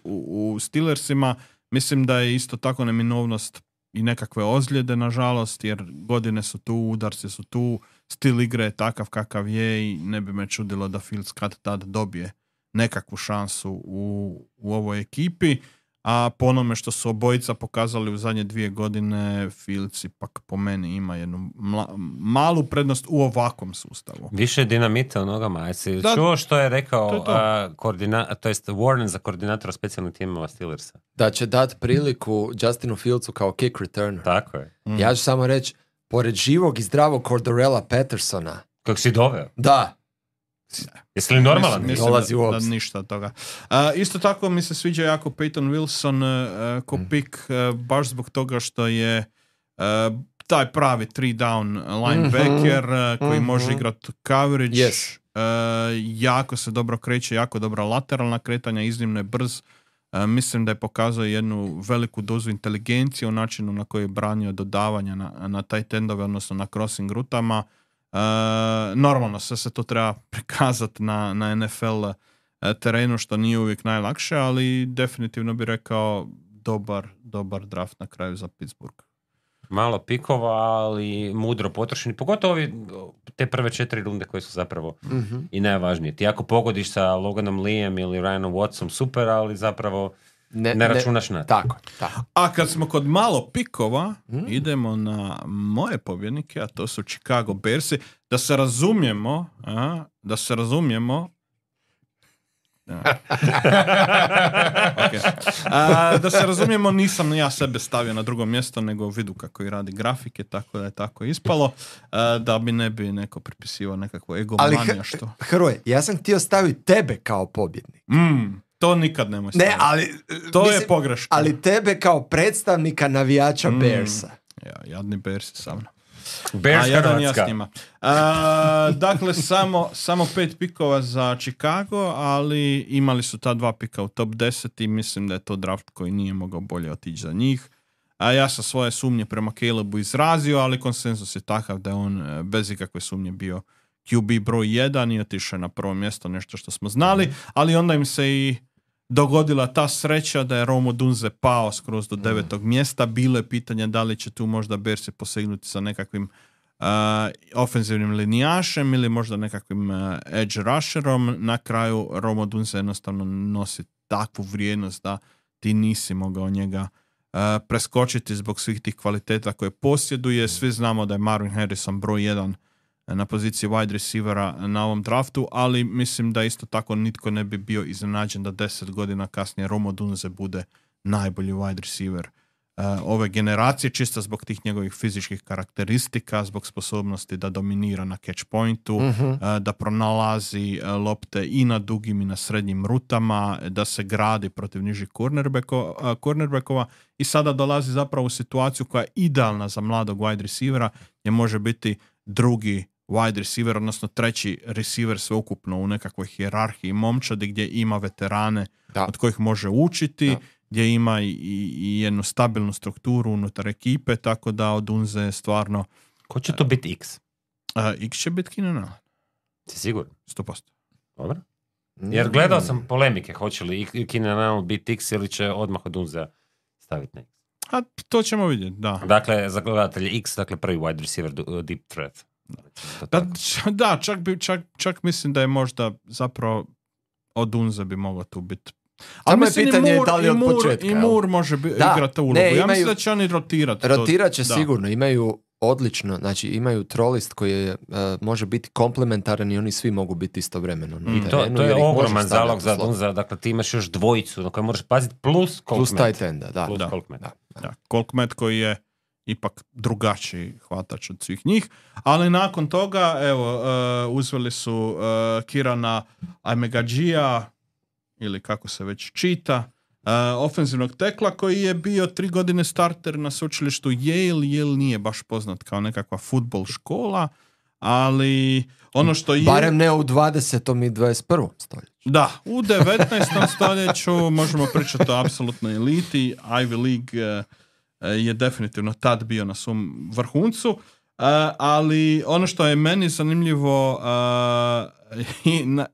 u Steelersima. Mislim da je isto tako neminovnost i nekakve ozljede, nažalost, jer godine su tu, udarci su tu, stil igre je takav kakav je i ne bi me čudilo da Fields kad tad dobije nekakvu šansu u ovoj ekipi. A po onome što su obojica pokazali u zadnje 2 godine, Fields ipak po meni ima jednu malu prednost u ovakvom sustavu. Više dinamita u nogama. Jesi čuo što je rekao to jest Warren za koordinatora specijalnih timova Steelersa? Da će dati priliku Justinu Fieldsu kao kick returner. Tako je. Ja ću samo reći, pored živog i zdravog Cordarella Pattersona. Kako si doveo? Da. Jesi li normalan? Mislim da ništa od toga. Isto tako mi se sviđa jako Peyton Wilson ko pik, baš zbog toga što je taj pravi 3 down linebacker koji može igrati coverage. Yes. Jako se dobro kreće, jako dobra lateralna kretanja, iznimno je brz. Mislim da je pokazao jednu veliku dozu inteligencije u načinu na koji je branio dodavanja na tight endove, odnosno na crossing rutama. Normalno sve se to treba prikazati na NFL terenu, što nije uvijek najlakše, ali definitivno bi rekao dobar draft na kraju za Pittsburgh. Malo pikova, ali mudro potrošeni, pogotovo te prve 4 runde koje su zapravo i najvažnije. Ti ako pogodiš sa Loganom Leeom ili Ryanom Wattsom, super, ali zapravo ne računaš na to. Tako. A kad smo kod malo pikova, idemo na moje pobjednike, a to su Chicago Bearsi. Da se razumijemo, da se razumijemo, nisam ja sebe stavio na drugo mjesto, nego vidu kako i radi grafike, tako da je tako ispalo, da bi ne bi neko pripisivao nekakvo egomanija. Što. Hrvoje, ja sam htio staviti tebe kao pobjednik. To nikad nemoj staviti. Ne, ali to je pogreška. Ali tebe kao predstavnika navijača Bearsa. Ja, jadni Bearsi sa mnom. Bears Hrvatska. Dakle, samo 5 pikova za Chicago, ali imali su ta 2 pika u top 10 i mislim da je to draft koji nije mogao bolje otići za njih. A ja sam svoje sumnje prema Calebu izrazio, ali konsenzus je takav da je on bez ikakve sumnje bio QB broj 1 i otišao na prvo mjesto, nešto što smo znali, ali onda im se i dogodila ta sreća da je Rome Odunze pao skroz do 9. mjesta. Bilo je pitanje da li će tu možda Bearsi posegnuti sa nekakvim ofenzivnim linijašem ili možda nekakvim edge rusherom. Na kraju Rome Odunze jednostavno nosi takvu vrijednost da ti nisi mogao njega preskočiti zbog svih tih kvaliteta koje posjeduje. Svi znamo da je Marvin Harrison broj 1 na poziciji wide receivera na ovom draftu, ali mislim da isto tako nitko ne bi bio iznenađen da 10 godina kasnije Rome Odunze bude najbolji wide receiver ove generacije, čisto zbog tih njegovih fizičkih karakteristika, zbog sposobnosti da dominira na catch pointu, da pronalazi lopte i na dugim i na srednjim rutama, da se gradi protiv nižih cornerbackova i sada dolazi zapravo u situaciju koja je idealna za mladog wide receivera, gdje može biti drugi wide receiver, odnosno treći receiver sveukupno u nekakvoj hijerarhiji momčadi gdje ima veterane od kojih može učiti, gdje ima i jednu stabilnu strukturu unutar ekipe, tako da Odunze je stvarno... Ko će to biti X? X će biti Keenan Allen. Si siguran? 100%. Dobro. Jer gledao sam polemike, hoće li Keenan Allen biti X ili će odmah Odunze staviti na X. A to ćemo vidjeti, da. Dakle, za gledatelje X, dakle prvi wide receiver deep threat. Da, čak mislim da je možda zapravo Odunze bi mogao tu biti. Ali je pitanje da li od početka. I Moore može igrati ulogu. Ja mislim da će oni rotirati. Rotirat će sigurno. Imaju odlično, znači imaju trolist koji može biti komplementaran i oni svi mogu biti istovremeno. To je ogroman zalog za Odunze. Dakle, ti imaš još dvojicu na koje možeš paziti plus tight enda. Da. Colkmet koji je ipak drugačiji hvatač od svih njih. Ali nakon toga, evo, uzeli su Kirana Amegadžija, ili kako se već čita, ofenzivnog tekla koji je bio 3 godine starter na sveučilištu Yale. Yale nije baš poznat kao nekakva fudbal škola, ali ono što je... Barem ne u 20. i 21. stoljeću. Da, u 19. stoljeću možemo pričati o apsolutnoj eliti. Ivy League je definitivno tad bio na svom vrhuncu, ali ono što je meni zanimljivo,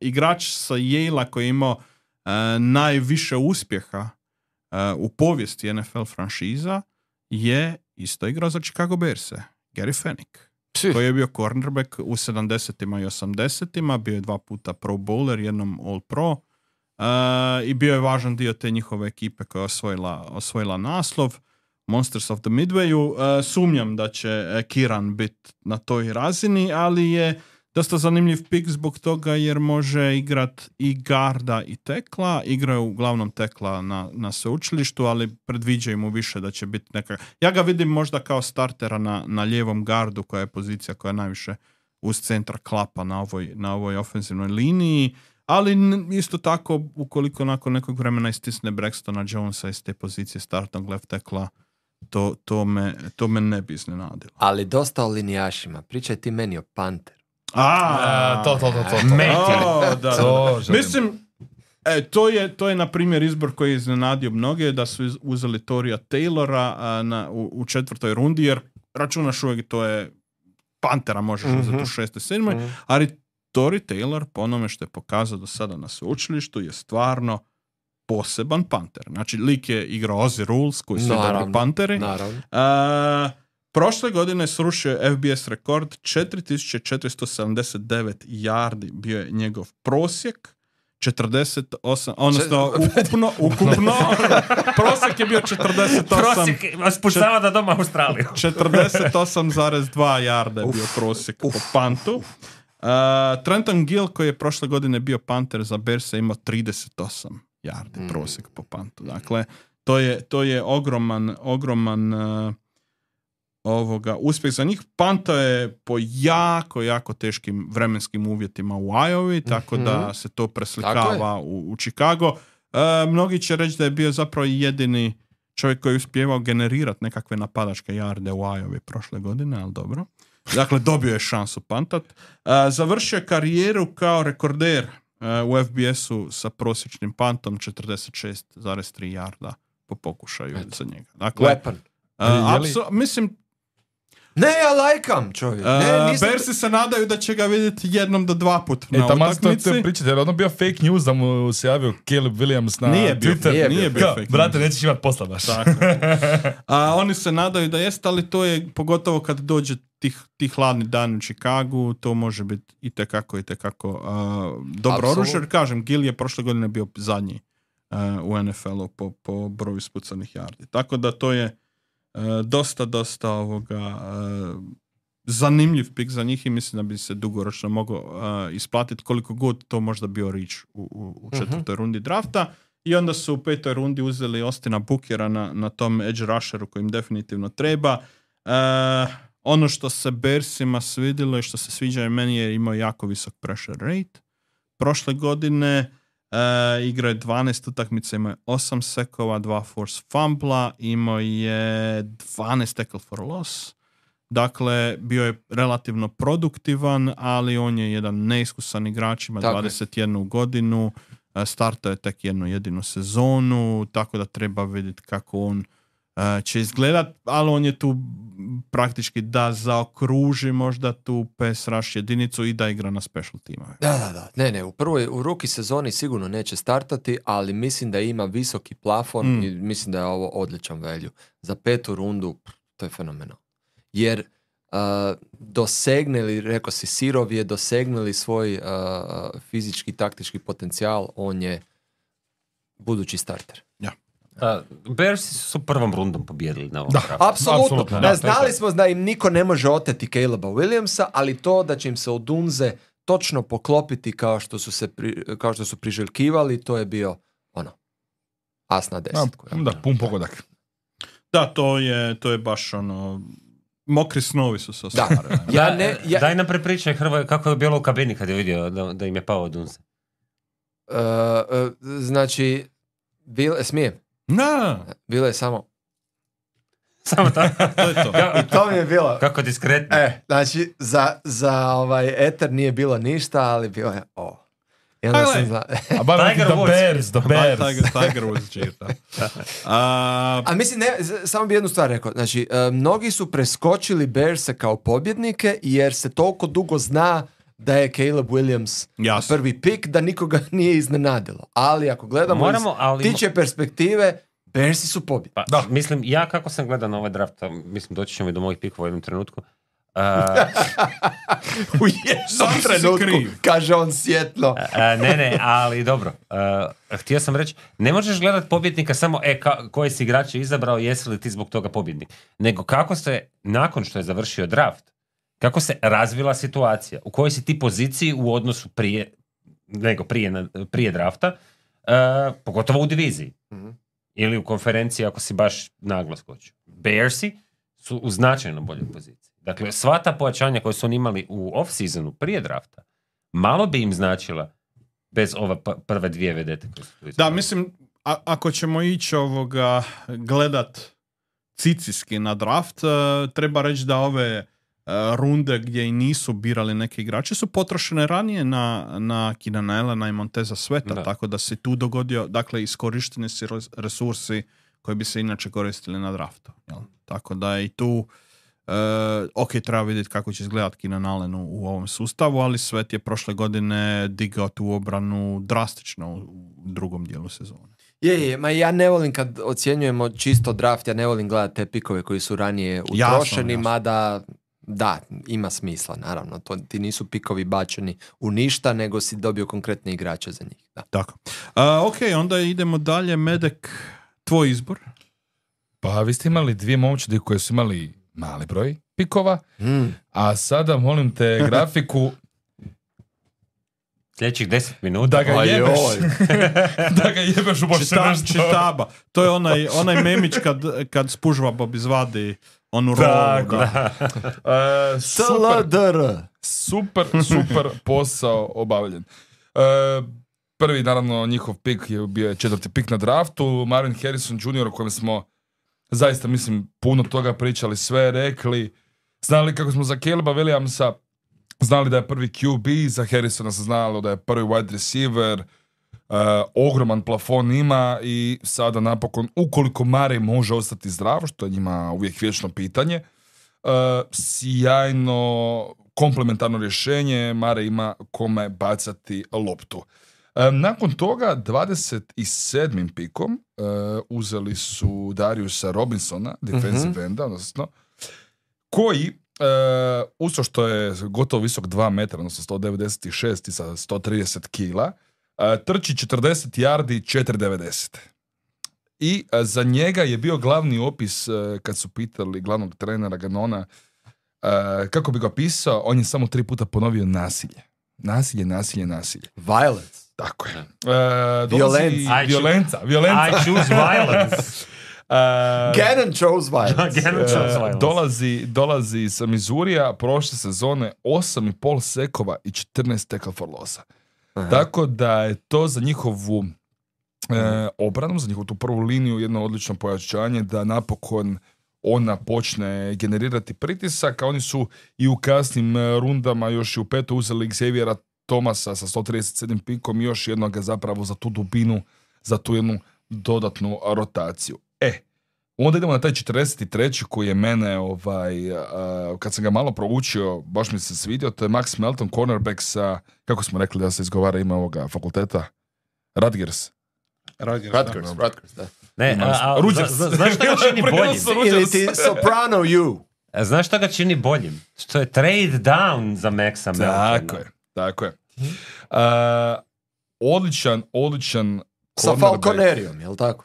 igrač sa Yale-a koji je imao najviše uspjeha u povijesti NFL franšiza je isto igrao za Chicago Bearse, Gary Fenwick, koji je bio cornerback u 70-ima i 80-ima, bio je 2 puta Pro Bowler, jednom All Pro, i bio je važan dio te njihove ekipe koja je osvojila naslov Monsters of the Midwayu. Sumnjam da će Kiran biti na toj razini, ali je dosta zanimljiv pik zbog toga jer može igrat i garda i tekla. Igraju uglavnom tekla na sveučilištu, ali predviđaju mu više da će biti neka... Ja ga vidim možda kao startera na lijevom gardu, koja je pozicija koja je najviše uz centra klapa na ovoj ofenzivnoj liniji. Ali isto tako, ukoliko nakon nekog vremena istisne Braxtona Jonesa iz te pozicije startnog left tekla, to me ne bi iznenadilo. Ali dosta o linijašima. Pričaj ti meni o Panteru. To. Mislim, to je na primjer izbor koji je iznenadio mnoge, da su uzeli Torija Taylora u 4. rundi, jer računaš uvijek to je Pantera možeš uzeti u 6. 7. Ali Tori Taylor, po onome što je pokazao do sada na sveučilištu, je stvarno poseban panter. Znači, lik je igrao Ozzy Rules, koji su dobri panteri. Prošle godine srušio FBS rekord, 4479 yardi bio je njegov prosjek, 48, odnosno ukupno prosjek je bio 48. Prosjek spuštava da doma Australiju. 48,2 yarda je bio prosjek po pantu. Trenton Gill, koji je prošle godine bio panter za Bearse, imao 38 yardi prosjek po pantu. Dakle, to je ogroman uspjeh za njih. Panto je po jako teškim vremenskim uvjetima u Iowa, tako da se to preslikava u Chicago. Mnogi će reći da je bio zapravo jedini čovjek koji je uspjevao generirati nekakve napadačke jarde u Iowa prošle godine, ali dobro. Dakle, dobio je šansu pantat. Završio je karijeru kao rekorder u FBS-u sa prosječnim pantom 46,3 jarda po pokušaju za njega. Dakle, Weapon. mislim, Ne, ja lajkam, čovjek. Bersi se nadaju da će ga vidjeti 1 do 2 puta na utakmici. To pričate, jer ono bio fake news da mu se javio Caleb Williams na Twitter. Nije bio fake news. Brate, nećeš imati posla baš. Oni se nadaju da jest, ali to je pogotovo kad dođe ti hladni dan u Chicagu, to može biti itekako dobro oružje. Jer kažem, Gill je prošle godine bio zadnji u NFL-u po broju ispucanih yardi. Tako da to je dosta zanimljiv pik za njih i mislim da bi se dugoročno mogao isplatiti koliko god to možda bio reach u 4. rundi drafta. I onda su u 5. rundi uzeli Austina Bookera na tom edge rusheru koji im definitivno treba. Ono što se Bearsima svidilo i što se sviđa i meni je imao jako visok pressure rate. Prošle godine igrao je 12 utakmica, imao je 8 sekova, 2 force fumbla, imao je 12 tackle for loss. Dakle, bio je relativno produktivan, ali on je jedan neiskusan igrač, ima 21 godinu, startao je tek jednu jedinu sezonu, tako da treba vidjeti kako on će izgledat, ali on je tu praktički da zaokruži možda tu pass rush jedinicu i da igra na special timove. Da. Ne, u rookie sezoni sigurno neće startati, ali mislim da ima visoki plafon i mislim da je ovo odličan value. Za 5. rundu, to je fenomenal. Jer dosegne li, rekao si, Sirov je dosegnuli svoj fizički, taktički potencijal, on je budući starter. Ja. Bearsi su prvom rundom pobijedili na ovom draftu. Apsolutno. Znali smo da im niko ne može oteti Caleba Williamsa, ali to da će im se od Dunze točno poklopiti kao što su priželjkivali, to je bio as na 10. Pun pogodak. Da, to je baš mokri snovi su se ostvarili. Daj nam prepričaj, Hrvoje, kako je bilo u kabini kad je vidio da im je pao Dunze. Znači, smijem? Bilo je samo tako. To je to. I to mi je bilo. Kako diskretno. Znači, za eter nije bilo ništa, ali bilo je I onda sam Tiger Woods čita. A mislim, samo bi jednu stvar rekao. Znači, mnogi su preskočili Bearse kao pobjednike jer se toliko dugo zna da je Caleb Williams prvi pik, da nikoga nije iznenadilo. Ali ako gledamo tiče perspektive, Bearsi su pobjedni. Mislim, ja kako sam gledao na ovaj draft, mislim, doći ćemo i do mojih pikova u jednom trenutku. U jednom trenutku, kaže on svjetlo. Ne, ali dobro. Htio sam reći, ne možeš gledati pobjednika samo koji si igrač je izabrao, jesi li ti zbog toga pobjednik. Nego kako se, nakon što je završio draft, kako se razvila situacija, u kojoj si ti poziciji u odnosu prije drafta, pogotovo u diviziji. Ili u konferenciji ako si baš naglo skočio. Bearsi su u značajno boljoj poziciji. Dakle, sva ta pojačanja koje su oni imali u off-seasonu prije drafta, malo bi im značila bez ove prve 2 vedete koje su tu izgledali. Da, mislim, ako ćemo ići gledat cicijski na draft, treba reći da ove runde gdje i nisu birali neke igrače su potrošene ranije na Keenana Allena i Monteza Sweata, tako da se tu dogodio, dakle, iskorišteni si resursi koji bi se inače koristili na draftu. Jel? Tako da i tu treba vidjeti kako će izgledati Keenan Allen u ovom sustavu, ali Sweat je prošle godine digao tu obranu drastično u drugom dijelu sezone. Ma ja ne volim kad ocjenjujemo čisto draft, ja ne volim gledati te pikove koji su ranije utrošeni, mada da, ima smisla, naravno. Ti nisu pikovi bačeni u ništa, nego si dobio konkretne igrače za njih. Da. Tako. Onda idemo dalje. Medek, tvoj izbor? Pa vi ste imali 2 momčadi koje su imali mali broj pikova, a sada molim te grafiku sljedećih 10 minuta da ga jebeš u bošćenaštvo. Čitaba. To je onaj memić kad SpongeBob izvadi onu rolu. Super posao obavljen. Prvi, naravno, njihov pik je bio 4. pik na draftu, Marvin Harrison Jr. o kojem smo zaista, mislim, puno toga pričali, sve rekli, znali kako smo za Caleba Williamsa znali da je prvi QB, za Harrisona se znalo da je prvi wide receiver, ogroman plafon ima i sada napokon, ukoliko Murray može ostati zdrav, što je njima uvijek vječno pitanje, sjajno komplementarno rješenje, Mare ima kome bacati loptu. Nakon toga, 27. pikom uzeli su Dariusa Robinsona, defensive enda, odnosno, koji, usto što je gotovo visok 2 metra, odnosno 196 i sa 130 kila, trči 40 yardi, 4,90. I za njega je bio glavni opis, kad su pitali glavnog trenera Ganona, kako bi ga pisao, on je samo 3 puta ponovio nasilje. Nasilje. Violence. Tako je. Violenca. Violenca. I choose violence. Gannon chose violence. Dolazi sa Mizurija, prošle sezone 8,5 sekova i 14 tackle for lossa. Tako da je to za njihovu obranu, za njihovu tu prvu liniju jedno odlično pojačanje da napokon ona počne generirati pritisak, a oni su i u kasnim rundama još i u 5. uzeli Xaviera Thomasa sa 137 pikom i još jednoga zapravo za tu dubinu, za tu jednu dodatnu rotaciju. Onda idemo na taj 43. koji je mene, kad sam ga malo proučio, baš mi se svidio, to je Max Melton, cornerback sa, kako smo rekli da se izgovara ime ovoga fakulteta? Rutgers, da. Ne, znaš što ga čini boljim? Ili ti Soprano U. Znaš što ga čini boljim? Što je trade down za Maxa Meltona. Tako je. Odličan sa Falconerijom, jel tako?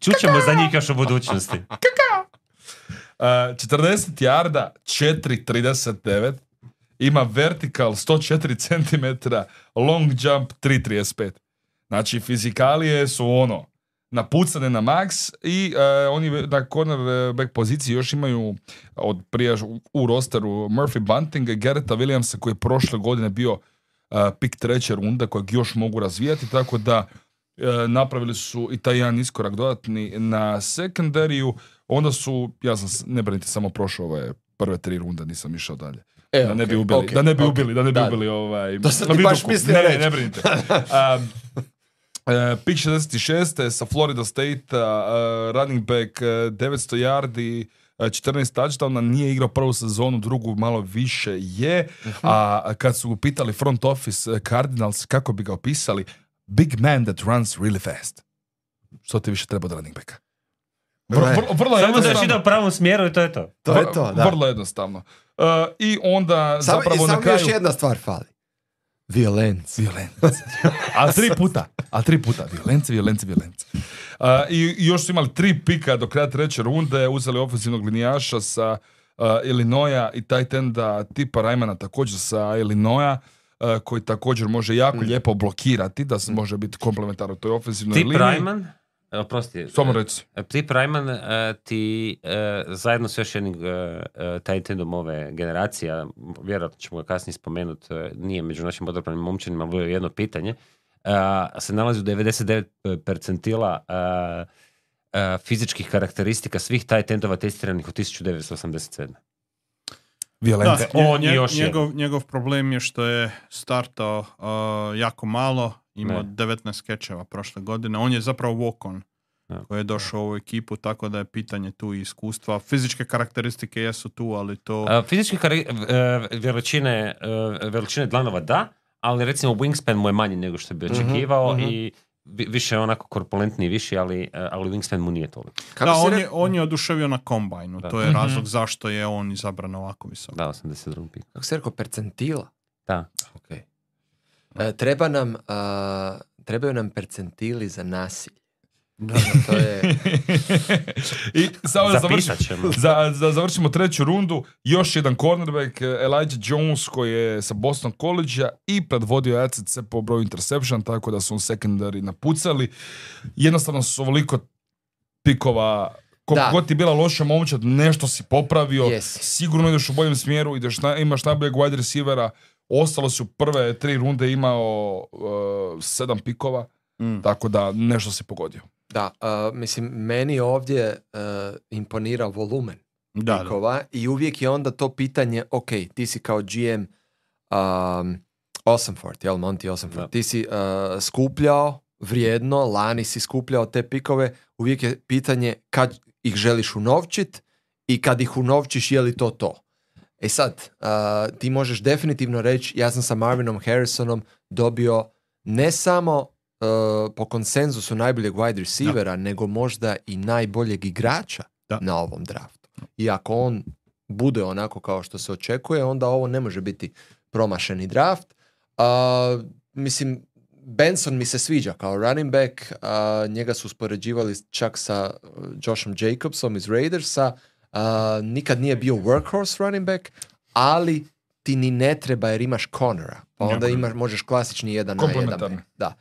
Čućemo za njih još u budućnosti. 40 yarda, 4,39. Ima vertikal 104 cm, long jump 3,35. Znači, fizikalije su napucane na max i oni na cornerback poziciji još imaju od prije u rosteru Murphy Buntinga i Garretta Williamsa koji je prošle godine bio pik 3. runda kojeg još mogu razvijati, tako da napravili su i taj jedan iskorak dodatni na sekundariju. Onda su, ja sam, ne brinite, samo prošao ove prve 3 runde, nisam išao dalje. Da ne bi ubili, da ne bi ubili To sam ti baš mislio reći. Ne brinite. Pick 66. sa Florida State, running back 900 yardi, 14 touchdowna, nije igrao prvu sezonu, drugu malo više je, a kad su pitali front office Cardinals kako bi ga opisali, big man that runs really fast. Što ti više treba od running backa? Vrlo samo da još ide u pravom smjeru i to je to. To je to, da. Vrlo jednostavno. I onda zapravo na kraju... još jedna stvar fali. Violence. A 3 puta. Violence. I još su imali 3 pika do kraja 3. runde, uzeli ofenzivnog linijaša sa Illinoisa i tight enda tipa Rymana također sa Illinoisa, koji također može jako lijepo blokirati, da se može biti komplementaran u toj ofenzivnoj liniji. Tip Ryman, oprosti, samo reci. Tip Ryman ti zajedno s još jednim tight endom ove generacije, vjerojatno ćemo ga kasnije spomenuti, nije među našim odabranim momčanima, bilo je jedno pitanje, se nalazi u 99 percentila fizičkih karakteristika svih tight endova testiranih od 1987. Violence. Njegov problem je što je startao jako malo, imao 19 kečeva prošle godine. On je zapravo walk-on koji je došao u ovu ekipu, tako da je pitanje tu i iskustva. Fizičke karakteristike jesu tu, ali to... Fizičke veličine dlanova da, ali recimo wingspan mu je manji nego što bi očekivao i više onako korpulentniji, viši, ali wingspan mu nije toliko. On je oduševio na kombajnu. To je razlog zašto je on izabran ovako visoko. Da, 82. pik. Kako se rekao, percentila? Da. Okay. Trebaju nam percentili za nasilje. To je... I samo završimo 3. rundu, još jedan cornerback, Elijah Jones, koji je sa Boston College-a i predvodio ACC po broju interception, tako da su on secondary napucali. Jednostavno su ovoliko pikova, koliko god ti bila loša momčad, nešto si popravio, sigurno ideš u boljem smjeru, imaš najboljeg wide receivera, ostalo su prve 3 runde imao 7 pikova, tako da nešto si pogodio. Da, mislim, meni ovdje imponira volumen pikova i uvijek je onda to pitanje, ok, ti si kao GM Ossenfort, jel, Monty Ossenfort, ti si skupljao vrijedno, lani si skupljao te pikove, uvijek je pitanje kad ih želiš unovčit i kad ih unovčiš, je li to? E sad, ti možeš definitivno reći, ja sam sa Marvinom Harrisonom dobio ne samo po konsenzusu najboljeg wide receivera, nego možda i najboljeg igrača na ovom draftu. I ako on bude onako kao što se očekuje, onda ovo ne može biti promašeni draft. Mislim, Benson mi se sviđa kao running back, njega su uspoređivali čak sa Joshom Jacobsom iz Raidersa, nikad nije bio workhorse running back, ali ti ni ne treba jer imaš Connora, pa onda možeš klasični 1 na 1. Da.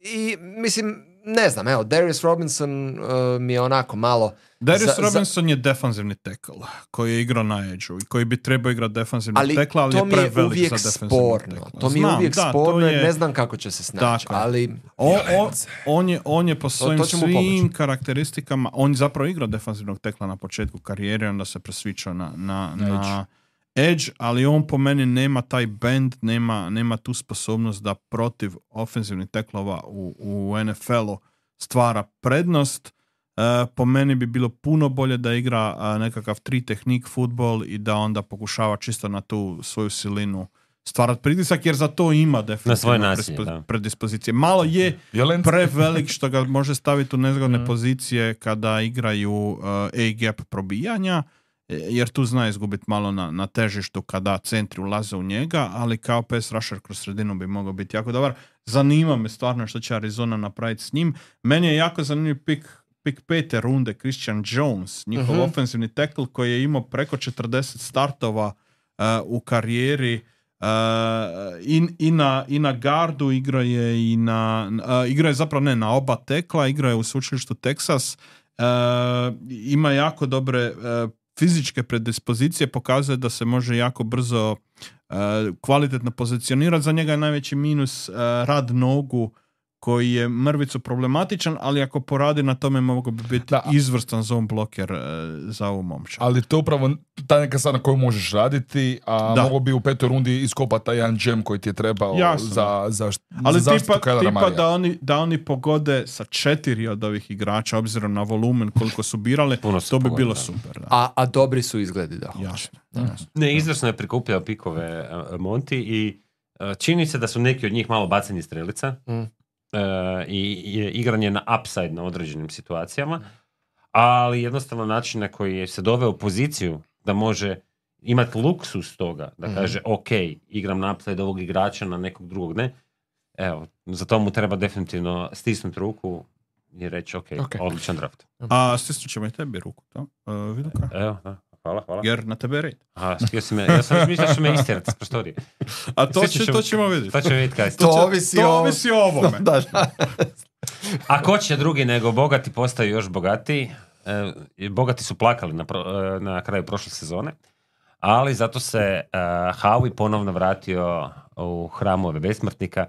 I mislim, ne znam, evo, Darius Robinson mi je onako malo... Darius Robinson je defanzivni tackle koji je igrao na edge-u i koji bi trebao igrati defanzivni tackle, ali je prevelik za defanzivni tackle. To mi je uvijek sporno jer ne znam kako će se snaći, ali... On je po svojim svim karakteristikama, on zapravo igrao defanzivnog tackla na početku karijere, onda se presvičao na edge, ali on po meni nema taj bend, nema tu sposobnost da protiv ofenzivnih teklova u NFL-u stvara prednost. Po meni bi bilo puno bolje da igra nekakav 3 tehnik futbol i da onda pokušava čisto na tu svoju silinu stvarati pritisak, jer za to ima definitivno predispozicije. Malo je prevelik što ga može staviti u nezgodne pozicije kada igraju A-gap probijanja, jer tu zna izgubiti malo na težištu kada centri ulaze u njega, ali kao pass rusher kroz sredinu bi mogao biti jako dobar. Zanima me stvarno što će Arizona napraviti s njim. Meni je jako zanimljiv pik 5. runde Christian Jones, njihov ofenzivni tackle koji je imao preko 40 startova u karijeri. I na gardu igra je zapravo na oba tekla, igra je u sveučilištu Texas, ima jako dobre fizičke predispozicije, pokazuje da se može jako brzo kvalitetno pozicionirati. Za njega je najveći minus rad nogu koji je mrvicu problematičan, ali ako poradi na tome mogu bi biti izvrstan zone bloker za ovu momča. Ali to je upravo ta neka stvar na koju možeš raditi, a mogu bi u 5. rundi iskopati taj jedan džem koji ti je trebao za zaštitu Kylera Marija. Da oni pogode sa 4 od ovih igrača, obzirom na volumen koliko su birali, to bi bilo super. Da. A dobri su izgledi, da. Jasno. Ne, izvrsno je prikupljao pikove Monty i čini se da su neki od njih malo baceni strelica. I igranje na upside na određenim situacijama, ali jednostavno način na koji se doveo u poziciju da može imati luksus toga, da kaže ok, igram na upside ovog igrača na nekog drugog ne, evo, za to mu treba definitivno stisnuti ruku i reći ok, odličan draft. A stisnut ćemo i tebi ruku, to? Viduka? Evo, da. Hvala. Jer na tebe red. Aha, ja sam mislio da će me istirati s prostorije. A to ćemo vidjeti. To ćemo vidjeti kada. To ovisi o ovome. A ko će drugi nego bogati postaju još bogatiji? Bogati su plakali na kraju prošle sezone, ali zato se Howie ponovno vratio u hramove besmrtnika.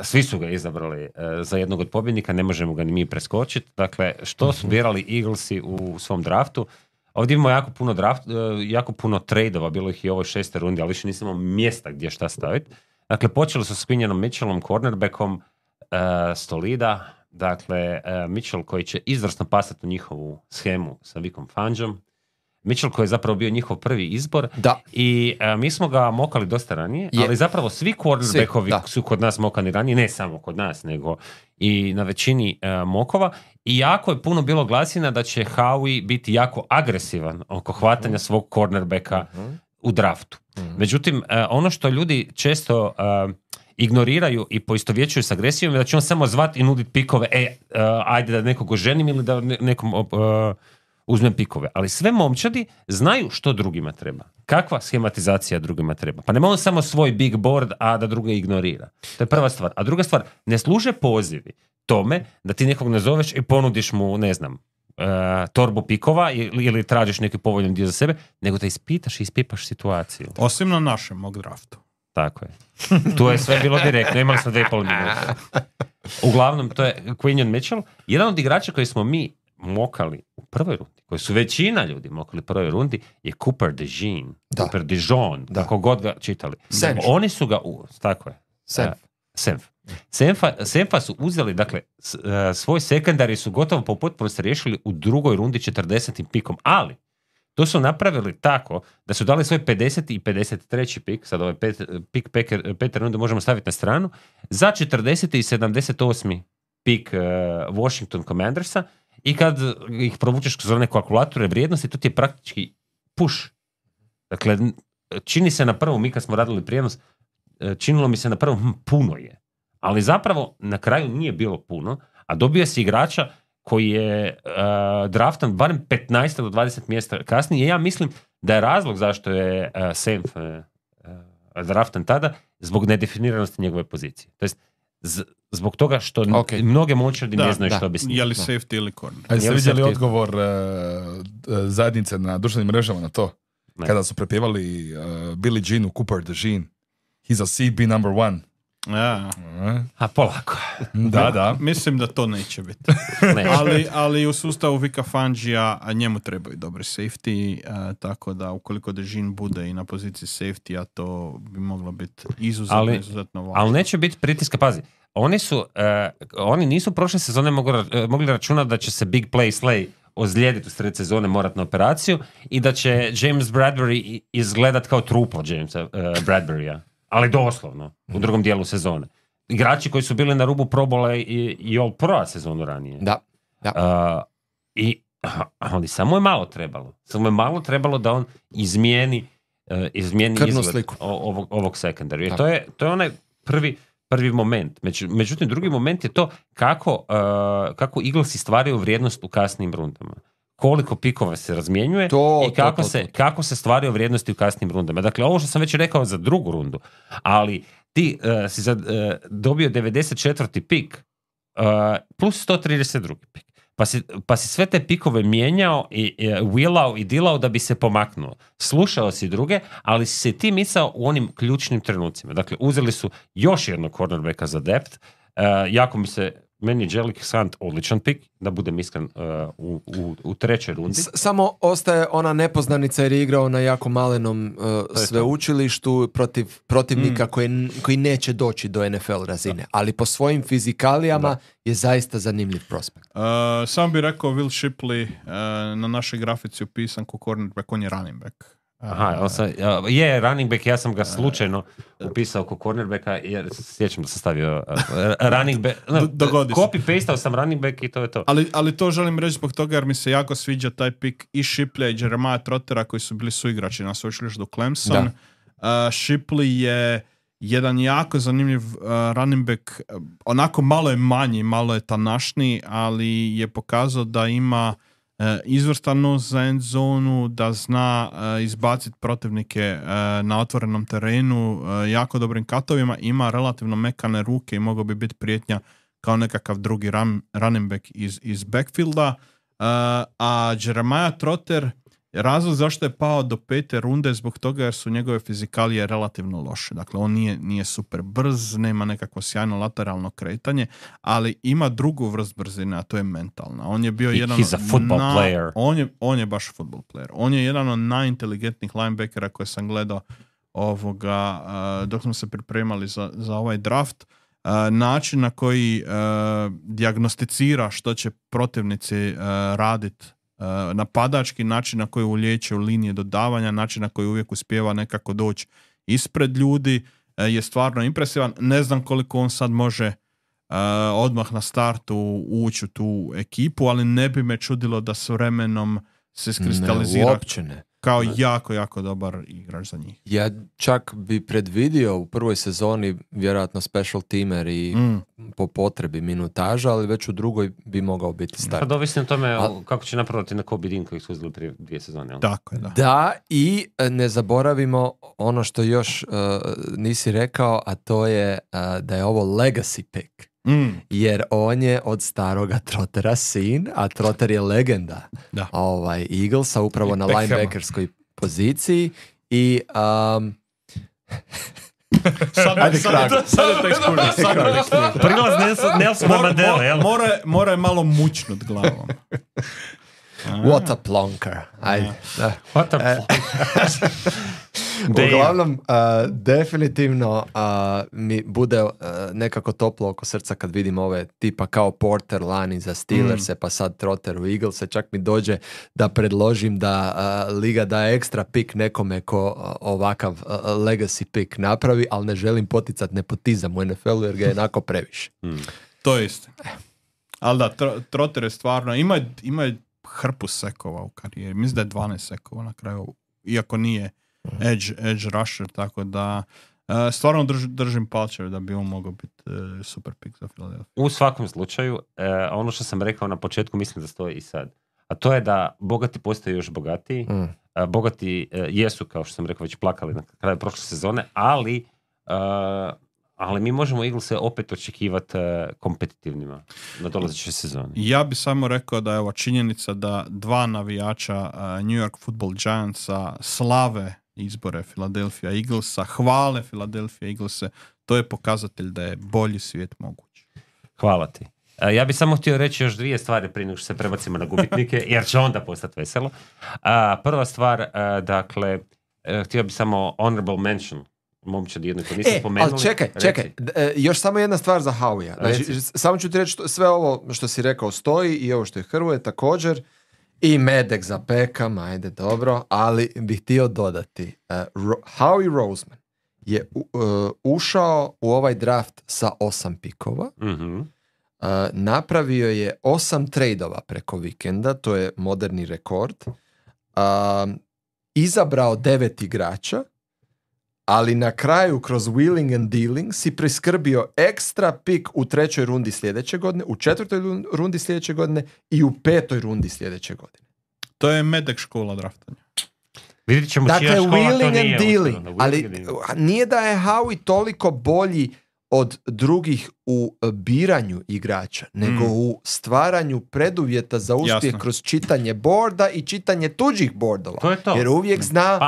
Svi su ga izabrali za jednog od pobjednika, ne možemo ga ni mi preskočiti. Dakle, što su birali Eaglesi u svom draftu? Ovdje imamo jako puno trade-ova, bilo ih i u ovoj 6. rundi, ali više nismo mjesta gdje šta staviti. Dakle, počeli su s Quinionom Mitchellom, cornerbackom, Stolida, dakle, Mitchell koji će izvrsno pasati u njihovu schemu sa Vicom Fangom, Mitchell koji je zapravo bio njihov prvi izbor i mi smo ga mokali dosta ranije, ali zapravo svi cornerbackovi su kod nas mokani ranije, ne samo kod nas, nego i na većini mokova. I jako je puno bilo glasina da će Howie biti jako agresivan oko hvatanja svog cornerbacka u draftu. Međutim, ono što ljudi često ignoriraju i poistovjećuju s agresijom je da će on samo zvati i nuditi pikove, ajde da nekog oženim ili da nekom uzmem pikove. Ali sve momčadi znaju što drugima treba. Kakva schematizacija drugima treba. Pa nema on samo svoj big board, a da druge ignorira. To je prva stvar. A druga stvar, ne služe pozivi tome da ti nekog nazoveš i ponudiš mu, ne znam, torbu pikova ili tražiš neki povoljan dio za sebe, nego da ispitaš i ispipaš situaciju. Osim na našem mock draftu. Tako je. Tu je sve bilo direktno. Imali smo 2,5 minuta. Uglavnom, to je Quinion Mitchell. Jedan od igrača koji smo mi mokali u prvoj rundi, koji su većina ljudi mokali u prvoj rundi, je Cooper DeJean. Cooper DeJean, kako god ga čitali. Oni su ga tako je. Senf. Senfa su uzeli, dakle, svoj sekundari su gotovo po potpunosti riješili u drugoj rundi 40. pikom, ali to su napravili tako da su dali svoj 50. i 53. pik, sad ovaj pik pete runde možemo staviti na stranu, za 40. i 78. pik Washington Commandersa i kad ih provučeš kroz one kalkulatore vrijednosti, to ti je praktički push. Dakle, čini se na prvom, mi kad smo radili prijenos, činilo mi se na prvom puno je. Ali zapravo na kraju nije bilo puno, a dobio si igrača koji je draftan barem 15 do 20 mjesta kasnije. Ja mislim da je razlog zašto je Senf draftan tada zbog nedefiniranosti njegove pozicije. To jest zbog toga što mnoge moćardi ne znaju što bi s njim. Je li safety ili corner? A jeste vidjeli odgovor zajednice na društvenim mrežama na to? Ne. Kada su prepjevali Billie Jean u Cooper the Jean. He's a CB number 1. Ja. A polako. Da. Mislim da to neće biti. ali u sustavu Vika Fangija njemu trebaju dobri safety, tako da ukoliko Dežin bude i na poziciji safety, a to bi moglo biti izuzetno važno. Ali neće biti pritiska, pazi. Oni nisu prošle sezone mogli računati da će se Big Play Slay ozlijediti u sred sezone, morat na operaciju i da će James Bradbury izgledat kao truplo Jamesa Bradburya. Ali doslovno, u drugom dijelu sezone. Igrači koji su bili na rubu probola i All Pro sezonu ranije. Da. Ali samo je malo trebalo. Samo je malo trebalo da on izmijeni izgled ovog sekundarija. Jer to je onaj prvi moment. Međutim, drugi moment je to kako Eaglesi stvaraju vrijednost u kasnim rundama. Koliko pikova se razmjenjuje i kako se stvaraju vrijednosti u kasnim rundama. Dakle, ovo što sam već rekao za drugu rundu, ali ti si dobio 94. pik plus 132. pik. Pa si sve te pikove mijenjao i wheelao i dealao da bi se pomaknuo. Slušao si druge, ali si se ti micao u onim ključnim trenucima. Dakle, uzeli su još jednog cornerbacka za depth. Meni je Jelic Sant odličan pik, da budem iskren, u trećoj rundi. Samo ostaje ona nepoznanica jer je igrao na jako malenom sveučilištu protiv protivnika koji neće doći do NFL razine. Ali po svojim fizikalijama je zaista zanimljiv prospekt. Sam bih rekao Will Shipley na našoj grafici upisan ko cornerback, on je running back. Je running back, ja sam ga slučajno upisao ko cornerbacka jer sjećam da sam stavio running back, copy-pastao sam running back i to je to. Ali to želim reći zbog toga jer mi se jako sviđa taj pik i Shipleya i Jeremiah Trottera koji su bili suigrači na sveučilištu Clemson. Shipley je jedan jako zanimljiv running back, onako malo je manji, malo je tanašniji, ali je pokazao da ima izvrstanost za end zonu, da zna izbaciti protivnike na otvorenom terenu jako dobrim katovima, ima relativno mekane ruke i mogao bi biti prijetnja kao nekakav drugi running back iz backfielda. A Jeremiah Trotter, razlog zašto je pao do 5. runde zbog toga jer su njegove fizikalije relativno loše. Dakle, on nije super brz, nema nekakvo sjajno lateralno kretanje, ali ima drugu vrst brzine, a to je mentalna. On je bio He's a football player. On je baš football player. On je jedan od najinteligentnijih linebackera koje sam gledao dok smo se pripremali za ovaj draft. Način na koji dijagnosticira što će protivnici raditi, napadački način na koji ulijeće u linije dodavanja, način na koji uvijek uspijeva nekako doći ispred ljudi je stvarno impresivan. Ne znam koliko on sad može odmah na startu ući u tu ekipu, ali ne bi me čudilo da s vremenom se iskristalizira kao jako, jako dobar igrač za njih. Ja čak bi predvidio u prvoj sezoni vjerojatno special teamer i po potrebi minutaža, ali već u drugoj bi mogao biti start. Pa ovisno o tome kako će napraviti na Kobe Dean kojeg su uzeli prije 2 sezone. Ali? Tako je, da. Da, i ne zaboravimo ono što još nisi rekao, a to je da je ovo legacy pick. Jer on je od staroga Trottera sin, a Trotter je legenda Eaglesa upravo na linebackerskoj poziciji i sad je to ekskurzija. Prilaz Nelsona Mandela, jel? Mora je malo mučnut glavom. What a plonker. Ajde. What a plonker. Uglavnom, definitivno mi bude nekako toplo oko srca kad vidim ove tipa kao Porter lani za Steelers, pa sad Trotter u Eaglese. Čak mi dođe da predložim da liga da ekstra pik nekome ko ovakav legacy pik napravi, ali ne želim poticat nepotizam u NFL-u jer ga je jednako previše. To je isto. Ali da, Trotter je stvarno, ima hrpu sekova u karijeri. Mislim da je 12 sekova na kraju, iako nije edge rusher, tako da stvarno držim palčeve da bi on mogao biti super pick za Philadelphia. U svakom slučaju, ono što sam rekao na početku, mislim da stoji i sad. A to je da bogati postaju još bogatiji. Bogati jesu, kao što sam rekao, već plakali na kraju prošle sezone, ali mi možemo Eaglese opet očekivati kompetitivnima na dolazećoj sezoni. Ja bi samo rekao da je ova činjenica da 2 navijača New York Football Giantsa slave izbore Philadelphia Eaglesa, hvale Philadelphia Eaglese, to je pokazatelj da je bolji svijet moguć. Hvala ti. Ja bih samo htio reći još 2 stvari prije nego što se prebacimo na gubitnike, jer će onda postati veselo. Prva stvar, dakle, htio bih samo honorable mention momčad jedno ko nisam spomenuli. Ali čekaj, još samo jedna stvar za Howija. Znači, samo ću ti reći sve ovo što si rekao stoji i ovo što je Hrvoje također i Medek za Pekam, ajde dobro, ali bih htio dodati. Howie Roseman je ušao u ovaj draft sa 8 pikova. Napravio je 8 trejdova preko vikenda, to je moderni rekord. Izabrao 9 igrača, ali na kraju kroz wheeling and dealing si priskrbio ekstra pik u 3. rundi sljedeće godine, u 4. rundi sljedeće godine i u 5. rundi sljedeće godine. To je Medek škola draftanja. Vidjet ćemo dakle, čija škola wheeling to nije. And dealing, ali nije da je Howie toliko bolji od drugih u biranju igrača, nego u stvaranju preduvjeta za uspjeh kroz čitanje borda i čitanje tuđih bordova. To je to. Jer uvijek zna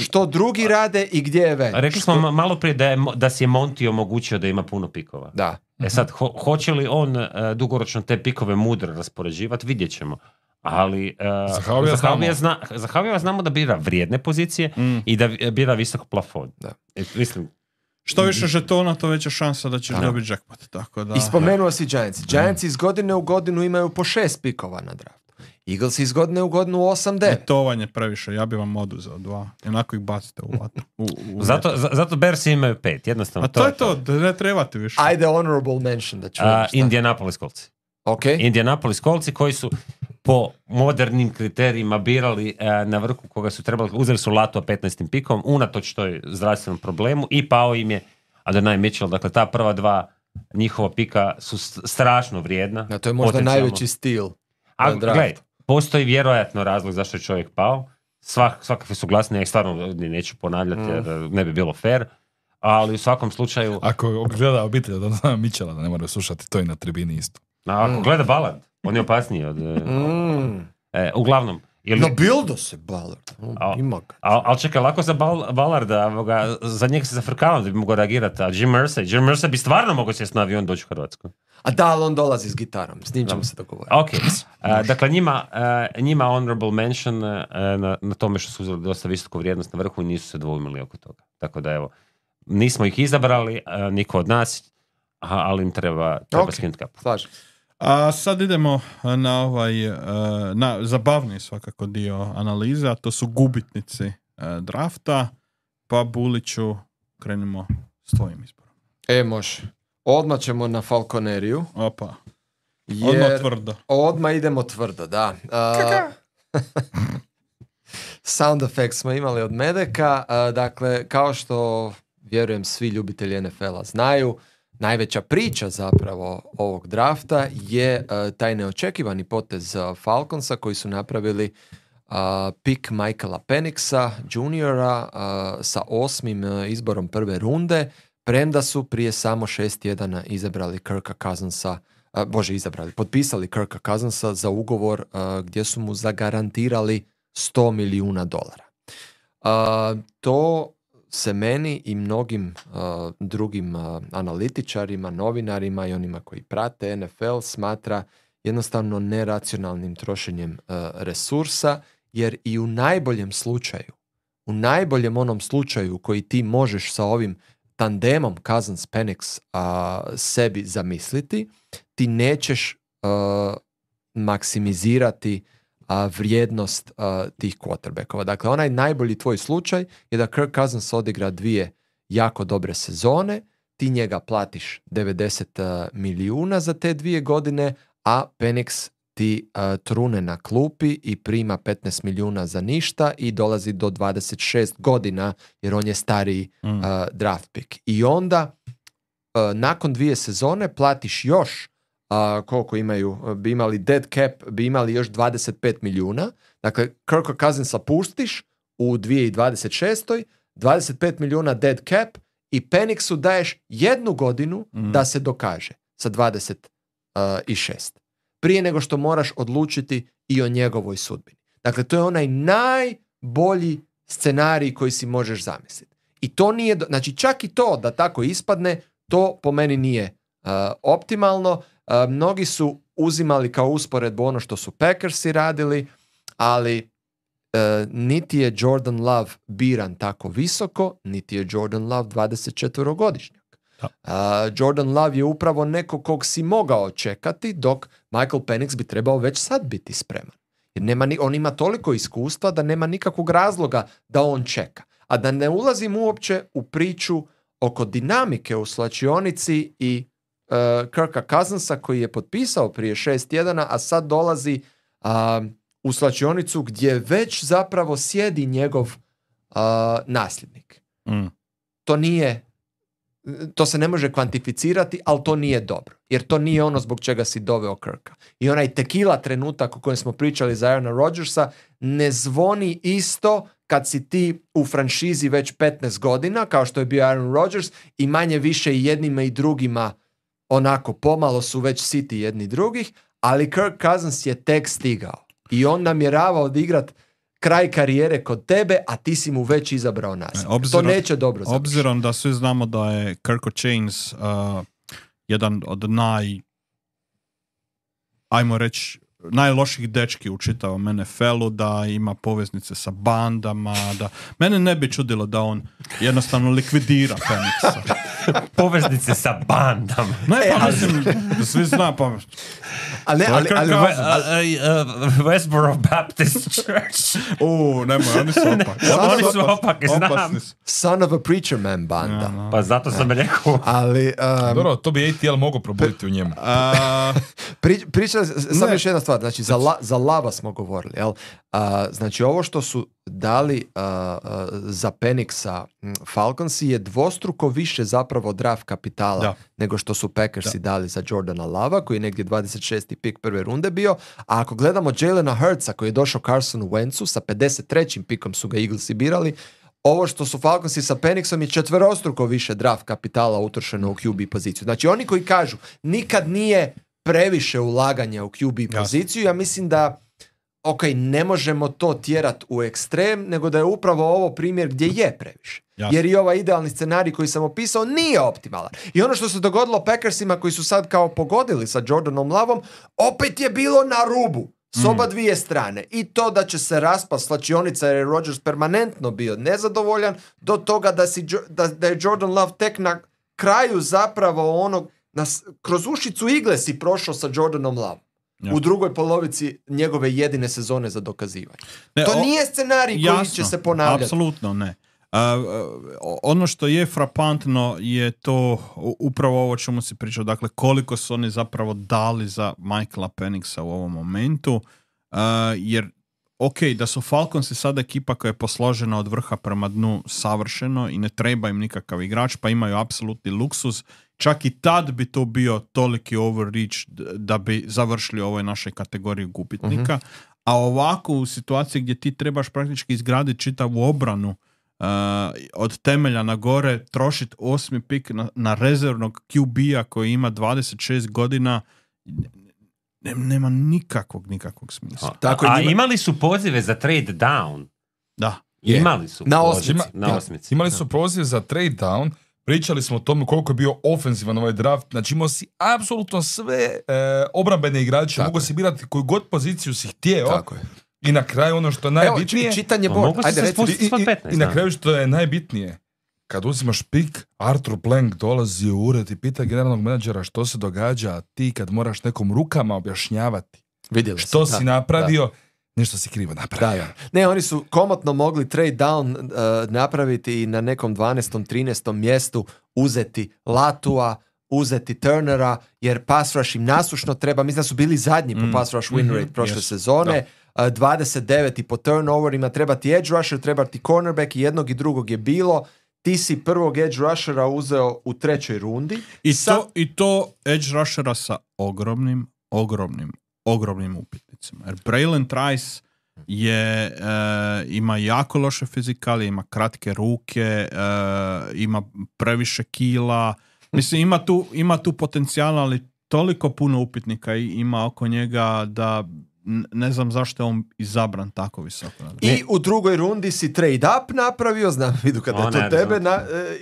što drugi rade i gdje je ven. Rekli smo malo prije da si je Monty omogućio da ima puno pikova. Da. Sad, hoće li on dugoročno te pikove mudro raspoređivati, vidjet ćemo. Ali za Howiya znamo da bira vrijedne pozicije i da bira visok plafon. Da. Mislim, što više žetona, to veća šansa da ćeš dobiti jackpot. Tako da. I spomenuo si Giants. Giants iz godine u godinu imaju po 6 pikova na draftu. Eagles iz godine u godinu 8-9. To vam je previše, ja bi vam oduzeo 2. Jednako ih bacite u vatnu. Zato Bearsi imaju 5, jednostavno. A to je to, ne trebate više. Ajde honorable mention da čujem. Indianapolis Colts. Okay. Indianapolis Coltsi koji su po modernim kriterijima birali na vrhu koga su trebali, uzeli su Lato 15. pikom, unatoč toj zdravstvenom problemu i pao im je Adonai Mitchell. Dakle, ta prva 2 njihova pika su strašno vrijedna. To je možda najveći stil. A gledaj, postoji vjerojatno razlog zašto je čovjek pao. Svakakve su glasne, ja ih stvarno neću ponavljati jer ne bi bilo fair. Ali u svakom slučaju... Ako gleda obitelj od Adonai Mitchella, da ne moraju slušati, to i na tribini isto. Ako gleda Ballard, on je opasniji od... uglavnom... No bildo se Ballard. Ali čekaj, lako za Ballarda, za njega se zafrkavam da bi mogao reagirati. A Jim Mercer bi stvarno mogao sjesti na avion doći u Hrvatsku. A da, ali on dolazi s gitarom. S njim ćemo se dogovoriti. Ok. Dakle, njima honorable mention na tome što su uzeli dosta visoku vrijednost na vrhu i nisu se dvoumili oko toga. Tako da evo, nismo ih izabrali, niko od nas, ali im treba skinuti kapu. Slažem. A sad idemo na zabavni svakako dio analize, a to su gubitnici drafta. Pa Buliću, krenimo s tvojim izborom. Može. Odmah ćemo na Falconeriju. Opa. Odmah tvrdo. Odmah idemo tvrdo, da. Sound effects smo imali od Medeka. Dakle, kao što vjerujem svi ljubitelji NFL-a znaju, najveća priča zapravo ovog drafta je taj neočekivani potez Falconsa koji su napravili pick Michaela Pennixa juniora sa 8. izborom prve runde, premda su prije samo 6 tjedana izabrali Kirka Cousinsa, potpisali Kirka Cousinsa za ugovor gdje su mu zagarantirali $100 milijuna. To se meni i mnogim drugim analitičarima, novinarima i onima koji prate NFL smatra jednostavno neracionalnim trošenjem resursa, jer i u najboljem slučaju u najboljem onom slučaju koji ti možeš sa ovim tandemom Cousins-Penix sebi zamisliti, ti nećeš maksimizirati vrijednost tih quarterbackova. Dakle, onaj najbolji tvoj slučaj je da Kirk Cousins odigra 2 jako dobre sezone, ti njega platiš 90 milijuna za te 2 godine, a Penix ti trune na klupi i prima 15 milijuna za ništa i dolazi do 26 godina jer on je stariji draft pick. I onda nakon 2 sezone platiš još koliko imaju, bi imali dead cap, bi imali još 25 milijuna. Dakle, Kirka Cousinsa pustiš u 2026. 25 milijuna dead cap i Penixu daješ 1 godinu da se dokaže sa 26. Prije nego što moraš odlučiti i o njegovoj sudbini. Dakle, to je onaj najbolji scenarij koji si možeš zamisliti. I to nije, znači čak i to da tako ispadne, to po meni nije optimalno. Mnogi su uzimali kao usporedbu ono što su Packersi radili, ali niti je Jordan Love biran tako visoko, niti je Jordan Love 24-godišnjak. Jordan Love je upravo neko kog si mogao čekati, dok Michael Penix bi trebao već sad biti spreman. Jer on ima toliko iskustva da nema nikakvog razloga da on čeka. A da ne ulazim uopće u priču oko dinamike u slačionici i Kirka Cousinsa koji je potpisao prije 6 tjedana, a sad dolazi u slačionicu gdje već zapravo sjedi njegov nasljednik. To se ne može kvantificirati, ali to nije dobro. Jer to nije ono zbog čega si doveo Kirka. I onaj tequila trenutak o kojem smo pričali za Aarona Rodgersa ne zvoni isto kad si ti u franšizi već 15 godina, kao što je bio Aaron Rodgers, i manje više i jednima i drugima onako pomalo su već siti jedni drugih, ali Kirk Cousins je tek stigao. I on namjerava odigrati kraj karijere kod tebe, a ti si mu već izabrao nasljednika. To neće dobro završiti. Obzirom da svi znamo da je Kirko Chains jedan od ajmo reći, najloših dečki u čitavom NFL-u, da ima poveznice sa bandama, da mene ne bi čudilo da on jednostavno likvidira Penixa. Poveznice sa bandama. Ne, pa mislim, svi zna, pa... Ali Westboro Baptist Church. Nemoj, oni su opaki. Oni su opaki, znam. Son of a preacher man banda. Ja. Pa zato sam rekao. Ali... Dobro, to bi ATL mogao probuditi u njemu. Pričali, samo još jedna stvar, znači za Lava smo govorili, jel? Znači ovo što su dali za Penixa Falconsi je dvostruko više zapravo draft kapitala nego što su Packersi dali za Jordana Lava, koji je negdje 26. pik prve runde bio, a ako gledamo Jalena Hurtsa koji je došao Carsonu Wentzu, sa 53. pikom su ga Eaglesi birali, ovo što su Falconsi sa Penixom je 4-struko više draft kapitala utrošeno u QB poziciju. Znači oni koji kažu nikad nije previše ulaganja u QB poziciju, ja mislim da ne možemo to tjerati u ekstrem, nego da je upravo ovo primjer gdje je previše. Jasne. Jer i ovaj idealni scenarij koji sam opisao nije optimalan. I ono što se dogodilo Packersima koji su sad kao pogodili sa Jordanom Lovom, opet je bilo na rubu s oba dvije strane. I to da će se raspast slačionica jer je Rodgers permanentno bio nezadovoljan, do toga da je Jordan Love tek na kraju zapravo onog kroz ušicu igle si prošao sa Jordanom Love. U drugoj polovici njegove jedine sezone za dokazivanje. To nije scenarij koji će se ponavljati. Apsolutno ne. Ono što je frapantno je to upravo ovo čemu si pričao, dakle koliko su oni zapravo dali za Michaela Pennixa u ovom momentu, jer da su Falconsi sada ekipa koja je posložena od vrha prema dnu savršeno i ne treba im nikakav igrač, pa imaju apsolutni luksuz. Čak i tad bi to bio toliki overreach da bi završili ovoj našoj kategoriji gubitnika. A ovako u situaciji gdje ti trebaš praktički izgraditi čitavu obranu od temelja na gore, trošiti 8. pik na rezervnog QB-a koji ima 26 godina, nema nikakvog smisla. A imali su pozive za trade down? Da. Imali su na osmici. Imali su pozive za trade down. Pričali smo o tome koliko je bio ofenzivan ovaj draft. Znači imao si apsolutno sve obrambene igrače. Mogu si birati koju god poziciju si htio. Tako je. I na kraju ono što je najbitnije... Evo, čitanje board. Ajde, reci. I na kraju što je najbitnije, kad uzimaš pik, Arthur Blank dolazi u ured i pita generalnog menadžera što se događa, a ti kad moraš nekom rukama objašnjavati što si napravio, nešto si krivo napravio. Da. Ne, oni su komotno mogli trade down napraviti i na nekom 12. 13. mjestu uzeti Latua, uzeti Turnera, jer pass rush im nasušno treba. Mislim da su bili zadnji po pass rush win rate prošle sezone. 29. po turnoverima, treba ti edge rusher, treba ti cornerback i jednog i drugog je bilo. Ti si prvog edge rushera uzeo u 3. rundi. I to edge rushera sa ogromnim upitnicima. Jer Braylon Trice ima jako loše fizikalije, ima kratke ruke, ima previše kila. Mislim, ima tu potencijala, ali toliko puno upitnika ima oko njega da ne znam zašto je on izabran tako visoko. I u 2. rundi si trade up napravio, znam, vidu kada je to tebe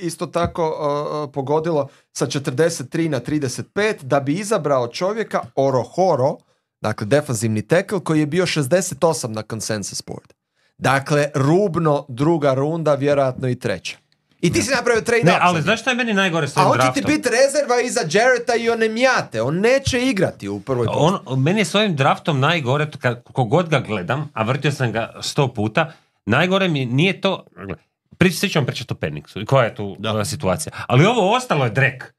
isto tako pogodilo, sa 43 na 35, da bi izabrao čovjeka Orohoro, dakle defanzivni tackle, koji je bio 68 na consensus board. Dakle, rubno 2. runda, vjerojatno i 3. I ti si napravio trade up. Ne, ali znaš što je meni najgore s ovim draftom? A on će ti biti rezerva iza Jarretta i Onemjate. On neće igrati u prvoj postavi. Meni je s ovim draftom najgore, kogod ga gledam, a vrtio sam ga 100 puta, najgore mi nije to... Svi ćemo pričati o Penixu i koja je tu situacija. Ali ovo ostalo je drek.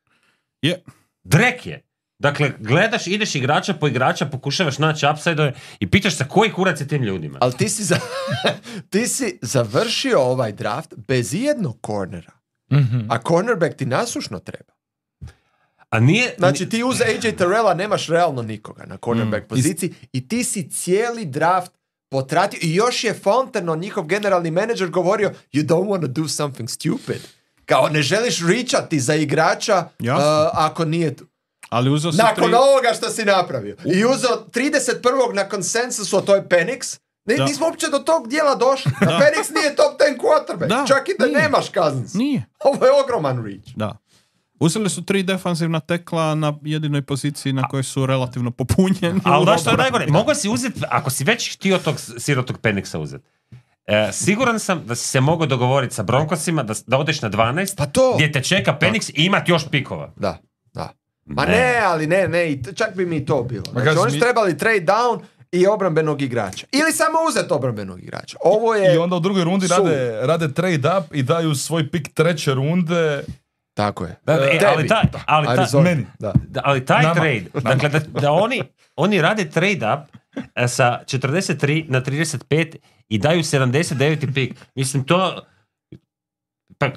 Drek je. Dakle, gledaš, ideš igrača po igrača, pokušavaš naći upside i pitaš se koji kurac je tim ljudima. Ali ti si završio ovaj draft bez jednog cornera. Mm-hmm. A cornerback ti nasušno treba. A nije... Znači ti uz AJ Terrella nemaš realno nikoga na cornerback poziciji i ti si cijeli draft potratio i još je Fontenot, njihov generalni menadžer, govorio you don't want to do something stupid. Kao ne želiš reachati za igrača ako nije tu. Ali nakon ovoga što si napravio. I uzeo 31. na konsensusu, a to je Penix. Nismo uopće do tog dijela došli. Penix nije top 10 quarterback. Čak i da nemaš Cousins. Nije. Ovo je ogroman reach. Da. Uzeli su 3 defanzivna tekla na jedinoj poziciji na kojoj su relativno popunjeni. Ali da što je najgore, mogu si uzeti, ako si već htio tog sirotog Penixa uzeti, siguran sam da si se mogao dogovoriti sa Broncosima da odeš na 12, gdje te čeka Penix i imati još pikova. Da. Ma ne, ali ne, čak bi mi to bilo. Znači, oni su trebali trade down i obrambenog igrača. Ili samo uzeti obrambenog igrača. Ovo je... I onda u 2. rundi rade trade up i daju svoj pik 3. runde. Tako je. Ali taj trade, dakle da oni rade trade up sa 43 na 35 i daju 79. pik. Mislim, to... Pa,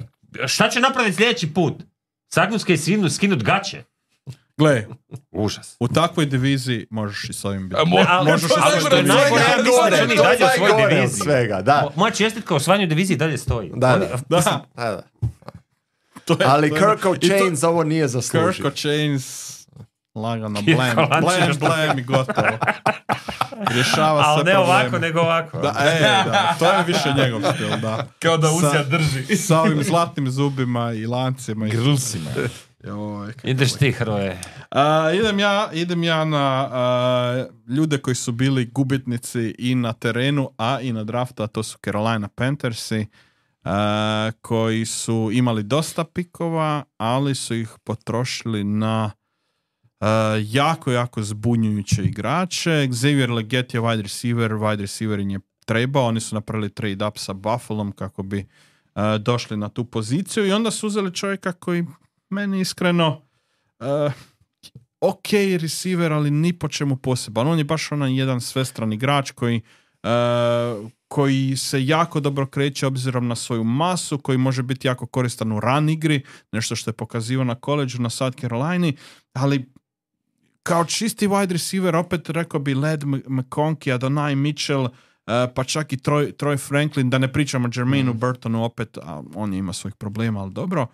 šta će napraviti sljedeći put? Sagnutske i skinut gaće. Gle, užas. U takvoj diviziji možeš i s ovim biti. Ali što je najgore, ja mislim da oni dalje u svojoj diviziji. Moja čestitka o osvajanju diviziji dalje stoji. Da. Ali Kirko Chains ovo nije zaslužio. Kirko Chains lagano blam i gotovo. Rješava se probleme. Ali ne ovako, nego ovako. Da, to je više njegov stil, da. Kao da Usija drži. Sa ovim zlatnim zubima i lancima i grusima. Ideš ti, Hroje. Idem ja na ljude koji su bili gubitnici i na terenu, a i na draftu, a to su Carolina Panthersi, koji su imali dosta pikova, ali su ih potrošili na jako zbunjujuće igrače. Xavier Legette je wide receiver im je trebao, oni su napravili trade up sa Buffalom kako bi došli na tu poziciju i onda su uzeli čovjeka koji meni iskreno ok receiver, ali ni po čemu poseban. On je baš onaj jedan svestran igrač koji se jako dobro kreće obzirom na svoju masu, koji može biti jako koristan u run igri, nešto što je pokazivao na koleđu na South Carolini, ali kao čisti wide receiver, opet rekao bi Led McConkey, Adonai Mitchell, pa čak i Troy Franklin, da ne pričamo o Jermaineu Burtonu, opet, on ima svojih problema, ali dobro.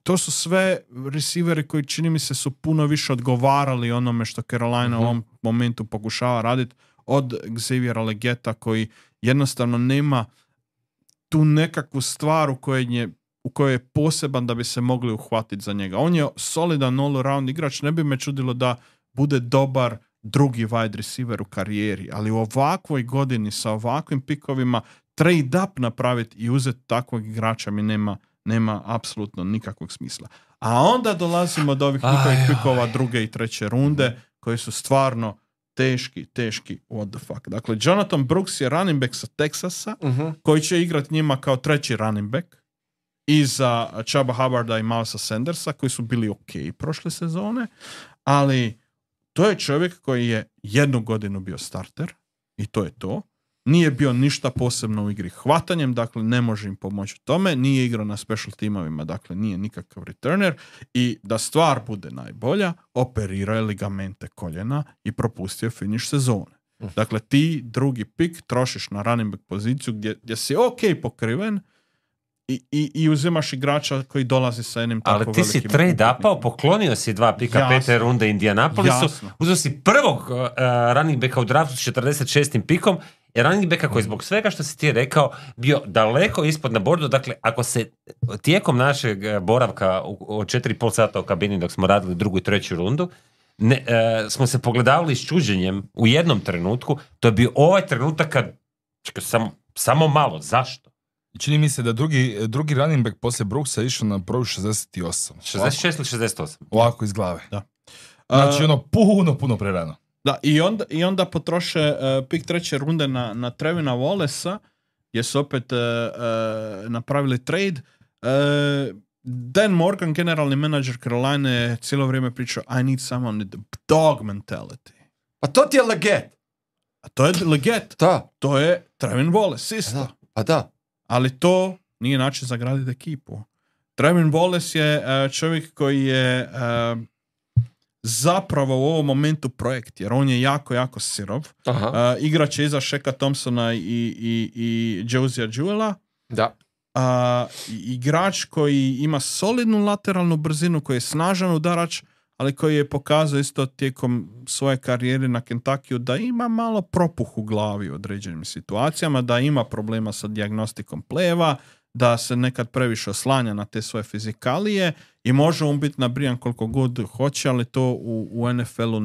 To su sve receiveri koji čini mi se su puno više odgovarali onome što Carolina u ovom momentu pokušava raditi od Xaviera Legetta, koji jednostavno nema tu nekakvu stvar u kojoj je poseban da bi se mogli uhvatiti za njega. On je solidan all-around igrač, ne bi me čudilo da bude dobar drugi wide receiver u karijeri, ali u ovakvoj godini sa ovakvim pikovima trade up napraviti i uzeti takvog igrača mi nema apsolutno nikakvog smisla. A onda dolazimo do ovih njihovih pikova druge i treće runde koji su stvarno teški what the fuck. Dakle, Jonathan Brooks je running back sa Texasa koji će igrati njima kao treći running back iza Chubba Hubbarda i Milesa Sandersa koji su bili ok prošle sezone, ali to je čovjek koji je jednu godinu bio starter i to je to. Nije bio ništa posebno u igri hvatanjem, dakle ne može im pomoći u tome, nije igrao na special timovima, dakle nije nikakav returner i da stvar bude najbolja, operirao je ligamente koljena i propustio finish sezone. Dakle, ti drugi pik trošiš na running back poziciju gdje si ok pokriven i uzimaš igrača koji dolazi sa jednim tako velikim... Ali ti si trade-upao, poklonio si 2 pika pete runde Indianapolisu, uzeo si prvog running backa u draftu s 46. pikom, i running backa koji zbog svega što si ti rekao bio daleko ispod na bordu. Dakle, ako se tijekom našeg boravka od 4,5 sata u kabini dok smo radili drugu i treću rundu, smo se pogledavali s čuđenjem u jednom trenutku, to je bio ovaj trenutak kad samo malo, zašto? Čini mi se da drugi running back poslije Brooksa je išao na broju 68. 66 ili 68? Ovako iz glave. Da. Znači puno prerano. Da, i onda potroše pik treće runde na Trevina Wallacea, gdje su opet napravili trade. Dan Morgan, generalni menadžer Caroline, je cijelo vrijeme pričao I need someone with dog mentality. Pa to ti je Leggett. A to je Leggett. Da. To je Trevin Wallace isto. Pa da. Ali to nije način za graditi ekipu. Trevin Wallace je čovjek koji je zapravo u ovom momentu projekt, jer on je jako sirov. Igrač je iza Sheka Thompsona i Josiah Jewela. Da. Igrač koji ima solidnu lateralnu brzinu, koji je snažan udarač, ali koji je pokazao isto tijekom svoje karijere na Kentuckyu da ima malo propuh u glavi u određenim situacijama, da ima problema sa dijagnostikom pleva, da se nekad previše oslanja na te svoje fizikalije i može on biti nabrijan koliko god hoće, ali to u NFL-u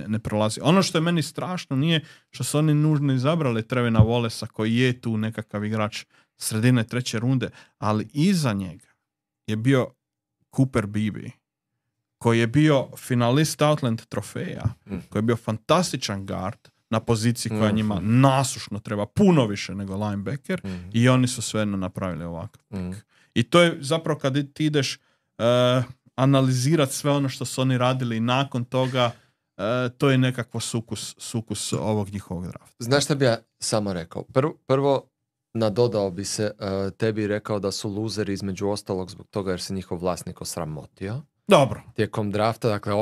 ne prolazi. Ono što je meni strašno nije što su oni nužno izabrali Trevina Wallacea koji je tu nekakav igrač sredine treće runde, ali iza njega je bio Cooper Beebe, koji je bio finalist Outland trofeja, koji je bio fantastičan guard na poziciji koja njima nasušno treba, puno više nego linebacker, i oni su svejedno napravili ovakav pik. I to je zapravo kad ti ideš analizirati sve ono što su oni radili nakon toga, to je nekakvo sukus ovog njihovog drafta. Znaš šta bi ja samo rekao? Prvo nadodao bi se, tebi rekao da su luzeri između ostalog zbog toga jer se njihov vlasnik osramotio. Dobro. Tijekom drafta, dakle,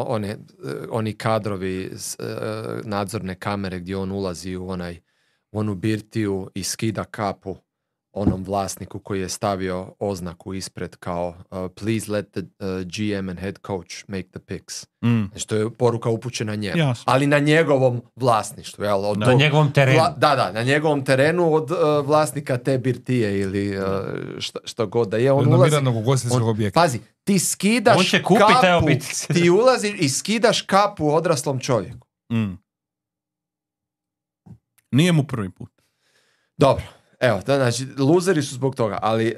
oni kadrovi, nadzorne kamere gdje on ulazi u onu birtiju i skida kapu onom vlasniku koji je stavio oznaku ispred kao please let the GM and head coach make the picks. Znači, to je poruka upućena njemu. Jasno. Ali na njegovom vlasništvu. Jel, na njegovom terenu. Na njegovom terenu od vlasnika te birtije ili što god da je. On ulazi. Objekta. Pazi, ti skidaš kapu, ti ulaziš i skidaš kapu odraslom čovjeku. Nije mu prvi put. Dobro. Evo, znači, luzeri su zbog toga, ali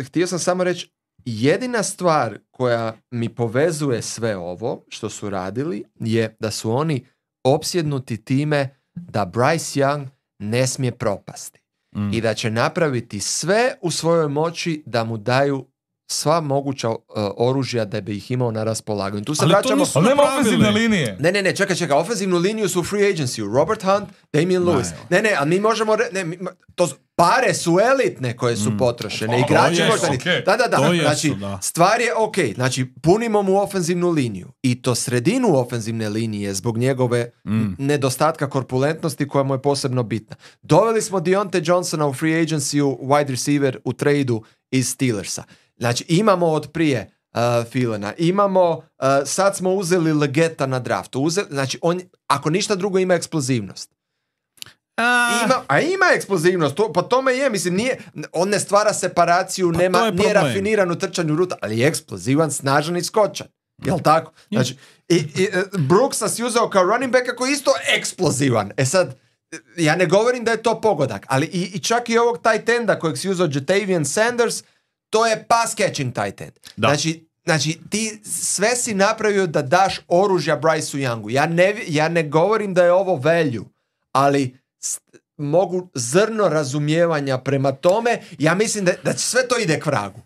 htio sam samo reći, jedina stvar koja mi povezuje sve ovo što su radili je da su oni opsjednuti time da Bryce Young ne smije propasti i da će napraviti sve u svojoj moći da mu daju sva moguća oružja da bi ih imao na raspolaganju. Tu se vraćamo... Ali nema ofenzivne linije. Ne, čekaj. Ofenzivnu liniju su u free agency. Robert Hunt, Damian Lewis. Ne, ali mi možemo... pare su elitne koje su potrošene. Igrači možda... Da. Znači, stvar je ok. Znači, punimo mu ofenzivnu liniju. I to sredinu ofenzivne linije zbog njegove nedostatka korpulentnosti koja mu je posebno bitna. Doveli smo Deontay Johnsona u free agency wide receiver u tradu iz Steelersa. Znači, imamo od prije Filena, imamo, sad smo uzeli Leggetta na draftu. Znači, on, ako ništa drugo, ima eksplozivnost. Ima eksplozivnost, po tome je, mislim, nije, on ne stvara separaciju, nije rafiniran u trčanju ruta, ali je eksplozivan, snažan i skočan. Jel' tako? Znači, Brooksa si uzeo kao running backa koji je isto eksplozivan. E sad, ja ne govorim da je to pogodak, ali i čak i ovog tight enda kojeg si uzeo Jatavian Sanders, to je pass catching tight end. Znači, ti sve si napravio da daš oružja Bryceu Youngu. Ja ne govorim da je ovo value, ali mogu zrno razumijevanja prema tome. Ja mislim da sve to ide k vragu.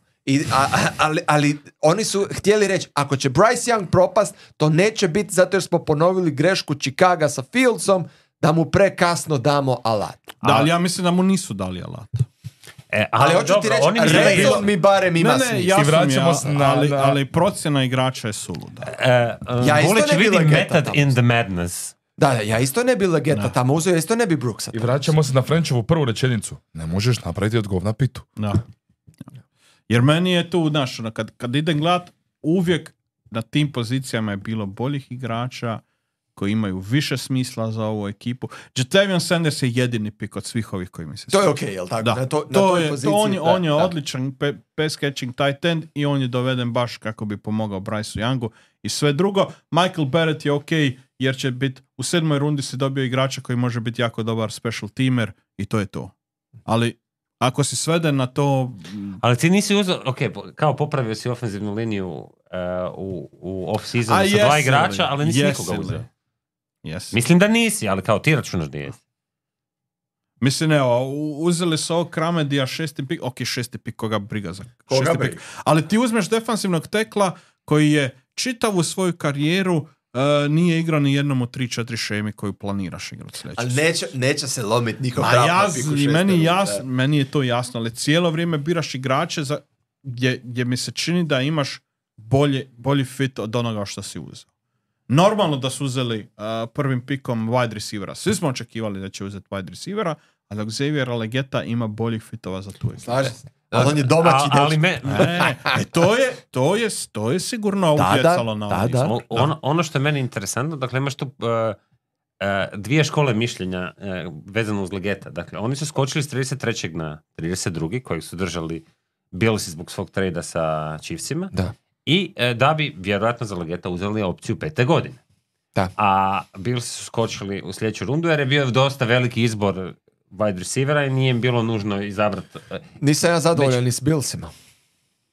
Ali oni su htjeli reći, ako će Bryce Young propast, to neće biti zato jer smo ponovili grešku Chicaga sa Fieldsom, da mu prekasno damo alat. Da, ali ja mislim da mu nisu dali alat. Ali hoću ti reći, Redon mi barem ima smisla. Ali procjena igrača je suluda. Volić vidim method in the madness. Da, ja isto ne bi Legeta tamo uzeo, isto ne bi Brooksa. I vraćamo se na Frenchovu prvu rečenicu. Ne možeš napraviti od govna pitu. Da. Jer meni je tu, znaš, kad idem gledat, uvijek na tim pozicijama je bilo boljih igrača koji imaju više smisla za ovu ekipu. Jatavian Sanders je jedini pik od svih ovih koji mi se to je okej, jel tako? Da. On je odličan pass catching tight end i on je doveden baš kako bi pomogao Bryceu Youngu i sve drugo. Michael Barrett je okej jer će biti u 7. rundi si dobio igrača koji može biti jako dobar special teamer i to je to. Ali ako si sveden na to... Ali ti nisi uzeo, kao popravio si ofenzivnu liniju u off-seasonu sa 2 igrača, ali nisi nikoga uzeo. Yes. Mislim da nisi, ali kao ti računaš da jesi. Mislim, evo, uzeli su ovog Kramedija 6. pik, 6. pik, koga briga za 6. pik. Ali ti uzmeš defansivnog tekla koji je čitavu svoju karijeru nije igrao ni jednom od 3-4 šemi koju planiraš igrati sljedeće. Ali neće se lomiti nikog draft na piku 6. Meni je to jasno, ali cijelo vrijeme biraš igrače gdje mi se čini da imaš bolji fit od onoga što si uzeo. Normalno da su uzeli prvim pikom wide receivera. Svi smo očekivali da će uzeti wide receivera, ali Xavier Legeta ima boljih fitova za tu ekipu. Slažem se. Ali on je domaći to je sigurno utjecalo na ovo. Ono što je meni interesantno, dakle imaš tu dvije škole mišljenja vezano uz Legeta. Dakle, oni su skočili s 33. na 32. kojeg su držali Billsi zbog svog trejda sa Chiefsima. Da. I da bi vjerojatno za Legeta uzeli opciju 5. godine. Da. A Billsi su skočili u sljedeću rundu jer je bio dosta veliki izbor wide receivera i nije im bilo nužno izabrati. Nisam ja zadovoljan ni s Billsima.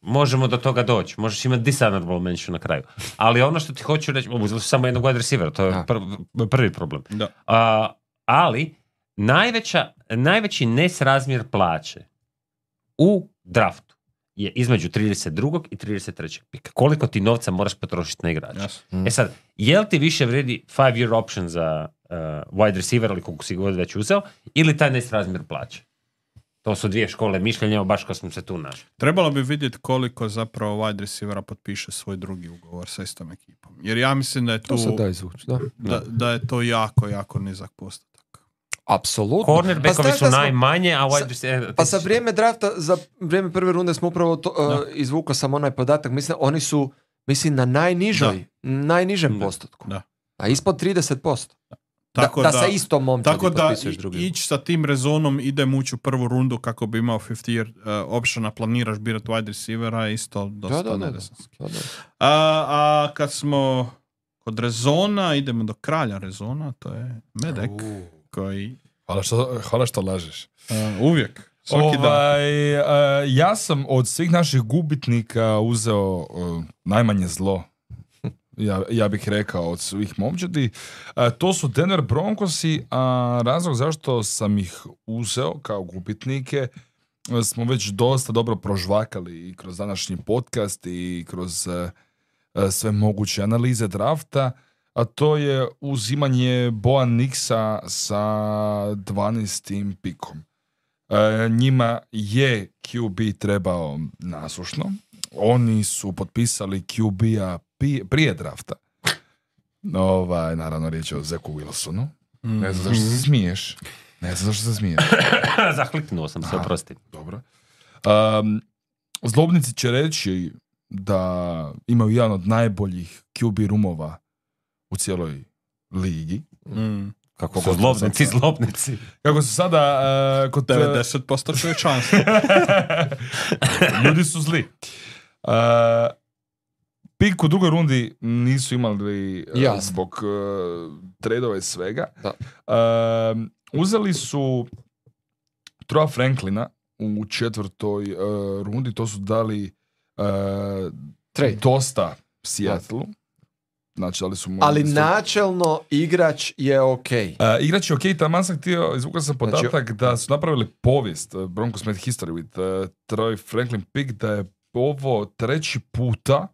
Možemo do toga doći. Možeš imati dishonorable mention na kraju. Ali ono što ti hoću reći, uzeli su samo jednog wide receivera, to je prvi problem. Da. Ali najveći nesrazmjer plaće u draftu je između 32. i 33. pika. Koliko ti novca moraš potrošiti na igrača? Yes. Sad, je li ti više vredi 5-year option za wide receiver ili koliko si god već uzeo, ili taj nesrazmjer plaće? To su dvije škole mišljenja, baš kao smo se tu našli. Trebalo bi vidjeti koliko zapravo wide receivera potpiše svoj drugi ugovor sa istom ekipom. Jer ja mislim da je tu, da je to jako, jako nizak postotak. Apsolutno. Cornerbackovi su najmanje, a wide receiver... Pa za vrijeme drafta, za vrijeme prve runde smo upravo izvukao sam onaj podatak. Mislim, oni su na najnižem postotku. Da. A ispod 30%. Tako da sa istom momčadi potpisuješ drugi. Ići sa tim rezonom idem ući u prvu rundu kako bi imao 50-year optiona, planiraš birati wide receivera, isto dosta nedesanski. A kad smo kod rezona, idemo do kralja rezona, to je Medek. Koji... Hvala što lažeš. Uvijek. Ja sam od svih naših gubitnika uzeo najmanje zlo. Ja bih rekao od svih momčadi. To su Denver Broncosi, a razlog zašto sam ih uzeo kao gubitnike smo već dosta dobro prožvakali i kroz današnji podcast i kroz sve moguće analize drafta, a to je uzimanje Boa Nixa sa 12. pikom. Njima je QB trebao nasušno. Oni su potpisali QB-a prije drafta. Naravno riječ je o Zeku Wilsonu. Ne znam zašto se smiješ. Zahliknuo sam se, oprosti. Dobro. Zlobnici će reći da imaju jedan od najboljih QB roomova u cijeloj ligi. Kako su zlobnici. Kako su sada... kod 90% čovječanstva. Ljudi su zli. Pik u drugoj rundi nisu imali zbog tradova i svega. Uzeli su Troa Franklina u četvrtoj rundi, to su dali dosta Seattle. Znači, ali načelno igrač je ok. Igrač je ok, taman sam htio, izvukao sam podatak da su napravili povijest, Broncos made history with Troy Franklin pick, da je ovo 3. puta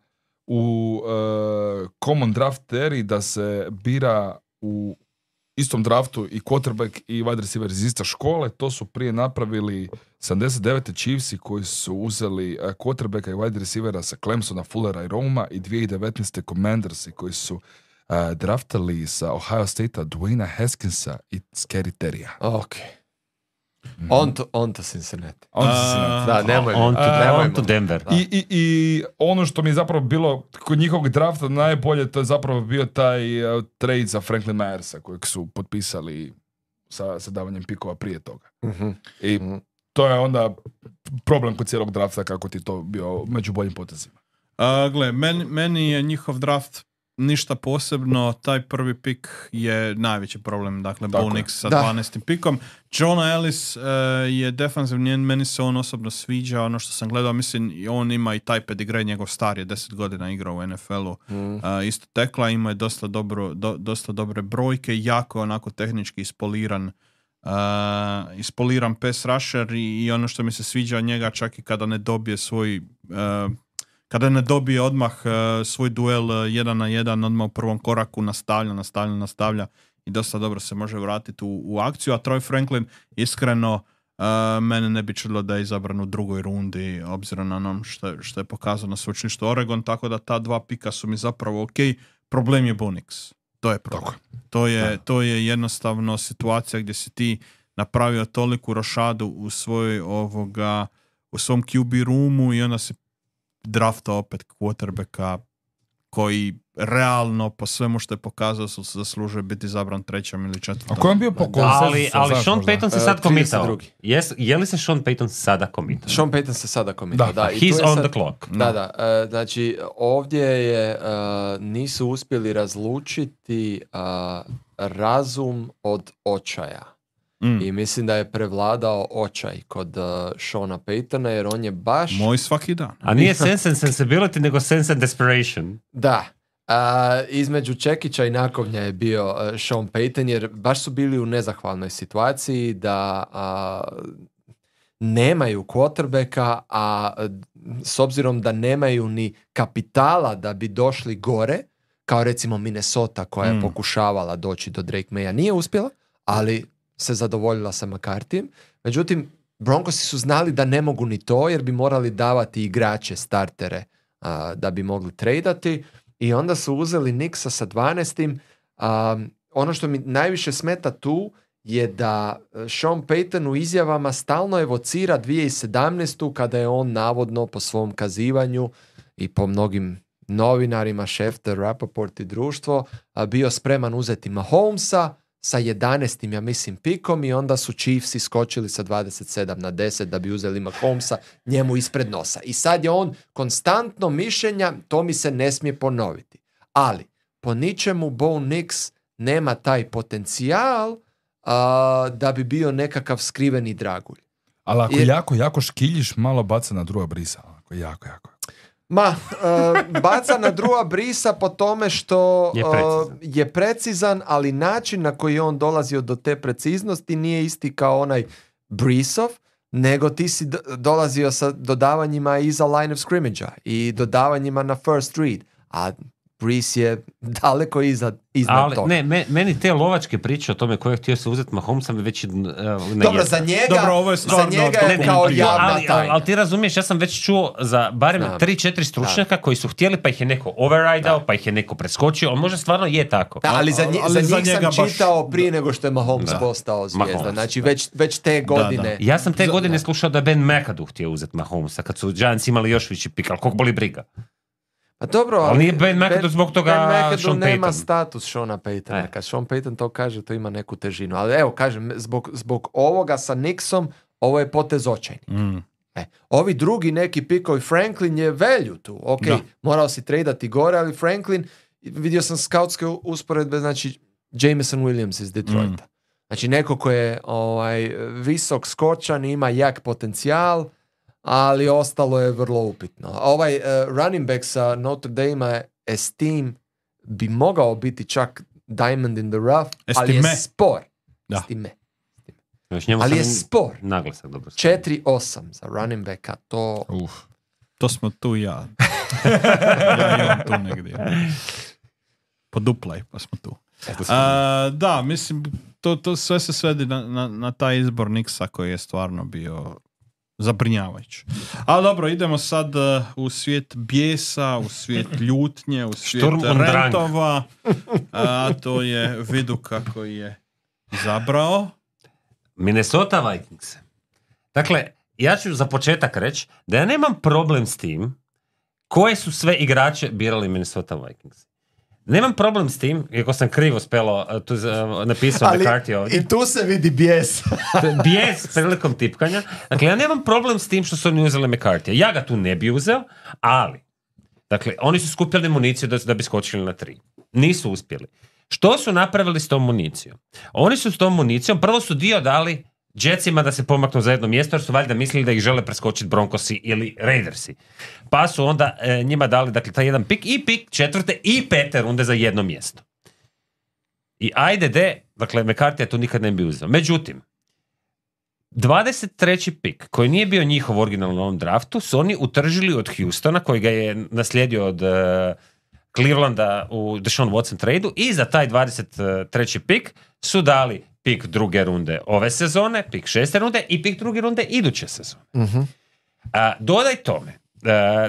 u common draft eri da se bira u istom draftu i quarterback i wide receiver iz iste škole. To su prije napravili 79. Chiefsi koji su uzeli quarterbacka i wide receivera sa Clemsona, Fullera i Roma, i 2019. Commandersi koji su draftali sa Ohio State-a Dwayna Haskinsa i Scary Terrya. Ok. On to Cincinnati. Da, nemoj. On to Denver. I ono što mi je zapravo bilo kod njihovog drafta najbolje, to je zapravo bio taj trade za Franklin Myersa kojeg su potpisali sa davanjem pikova prije toga. I to je onda problem kod cijelog drafta, kako ti to bio među boljim potezima. Gle, meni je njihov draft ništa posebno, taj prvi pik je najveći problem, dakle Bo Nix sa 12. pikom. Jonah Ellis je defanzivni, meni se on osobno sviđa, ono što sam gledao, mislim, on ima i taj pedigree, njegov star je 10 godina igrao u NFL-u, isto tekla, ima je dosta dobre brojke, jako onako tehnički ispoliran pass rusher i ono što mi se sviđa od njega, čak i kada ne dobije kada ne dobije odmah svoj duel 1 na 1, odmah u prvom koraku nastavlja i dosta dobro se može vratiti u akciju. A Troy Franklin, iskreno, mene ne bi čudilo da je izabran u drugoj rundi, obzirom na ono što je pokazano na sveučilištu Oregon, tako da ta 2 pika su mi zapravo ok. Problem je Bo Nix. To je problem. To je jednostavno situacija gdje si ti napravio toliku rošadu u svom QB roomu i onda si drafta opet quarterbacka koji realno po svemu što je pokazao su zaslužuje biti izabran 3. ili 4. A ko je bio po konsensusu? Ali Sean Payton se sad komitao. Je li se Sean Payton sada komitao? Sean Payton se sada komitao, da. He's on the clock. Da. Znači, ovdje nisu uspjeli razlučiti razum od očaja. I mislim da je prevladao očaj kod Seana Paytona, jer on je baš... Moj svaki dan. A nije sense and sensibility, nego sense and desperation. Da. Između čekića i nakovnja je bio Sean Payton, jer baš su bili u nezahvalnoj situaciji da nemaju quarterbacka, a s obzirom da nemaju ni kapitala da bi došli gore, kao recimo Minnesota koja je pokušavala doći do Drake Maya, nije uspjela, ali se zadovoljila sa McCarthyjem. Međutim, Broncosi su znali da ne mogu ni to, jer bi morali davati igrače, startere, da bi mogli tradati, i onda su uzeli Nixa sa 12. Ono što mi najviše smeta tu je da Sean Payton u izjavama stalno evocira 2017. kada je on navodno po svom kazivanju i po mnogim novinarima, Schefter, Rappaport i društvo, bio spreman uzeti Mahomesa sa 11. ja mislim pikom, i onda su Chiefsi skočili sa 27 na 10 da bi uzeli Mahomesa njemu ispred nosa. I sad je on konstantno mišljenja, to mi se ne smije ponoviti. Ali po ničemu Bo Nix nema taj potencijal da bi bio nekakav skriveni dragulj. Ali ako jako škiljiš, malo baca na Drewa Breesa. Jako. Baca na Drewa Breesa po tome što je precizan, ali način na koji je on dolazio do te preciznosti nije isti kao onaj Breesov, nego ti si dolazio sa dodavanjima iza line of scrimmage-a i dodavanjima na first read, a Brees je daleko iznad toga. Ne, meni te lovačke priče o tome ko je htio se uzeti Mahomesa već Dobro, za njega je kao javna tajna. Ali ti razumiješ, ja sam već čuo za barem 3-4 stručnjaka koji su htjeli, pa ih je neko override-ao, pa ih je neko preskočio, on možda stvarno je tako. Da, ali za njih sam čitao prije nego što je Mahomes postao zvijezda. Znači već te godine. Ja sam te godine slušao da je Ben McAdoo htio uzeti Mahomesa, kad su Giants imali još veći pik, ali koliko boli briga. Pa dobro, ali nije Ben McAdoo zbog toga Sean Payton. Nema status Seana Paytona. Kad Sean Payton to kaže, to ima neku težinu. Ali evo, kažem, zbog ovoga sa Nixom, ovo je potez očajni. Ovi drugi neki pikovi, Franklin je value tu. Ok, morao si tradati gore, ali Franklin, vidio sam skautske usporedbe, znači Jameson Williams iz Detroita. Znači neko ko je visok, skočan, ima jak potencijal, ali ostalo je vrlo upitno. Running back sa Notre Dame Esteem bi mogao biti čak diamond in the rough, ali je spor. Estime. Ali je spor. Naglasak dobro. 4-8 za running backa, to... To smo tu ja. Ja imam tu negdje. Poduplaj, pa smo tu. Da, mislim, to sve se svedi na taj izbor Knicksa koji je stvarno bio zabrinjavajući. Ali dobro, idemo sad u svijet bijesa, u svijet ljutnje, u svijet rentova. A to je vidu kako je izabrao Minnesota Vikings. Dakle, ja ću za početak reći da ja nemam problem s tim koje su sve igrače birali Minnesota Vikings. Nemam problem s tim, iako sam krivo napisao McCarthy ovdje. I tu se vidi bijes. Bijes prilikom tipkanja. Dakle, ja nemam problem s tim što su oni uzeli McCarthy. Ja ga tu ne bi uzeo, ali dakle, oni su skupljali municiju da bi skočili na 3. Nisu uspjeli. Što su napravili s tom municijom? Oni su s tom municijom, prvo su dio dali Jetsima da se pomaknu za jedno mjesto, jer su valjda mislili da ih žele preskočiti Broncosi ili Raidersi. Pa su onda njima dali, dakle, taj jedan pik i pik 4. i 5. runde za jedno mjesto. I dakle, McCarthy tu nikad ne bi uzeo. Međutim, 23. pik, koji nije bio njihov originalno u ovom draftu, su oni utržili od Houstona, koji ga je naslijedio od Clevelanda u Deshaun Watson tradu, i za taj 23. pik su dali pik 2. runde ove sezone, pik 6. runde i pik 2. runde iduće sezone. Uh-huh. Dodaj tome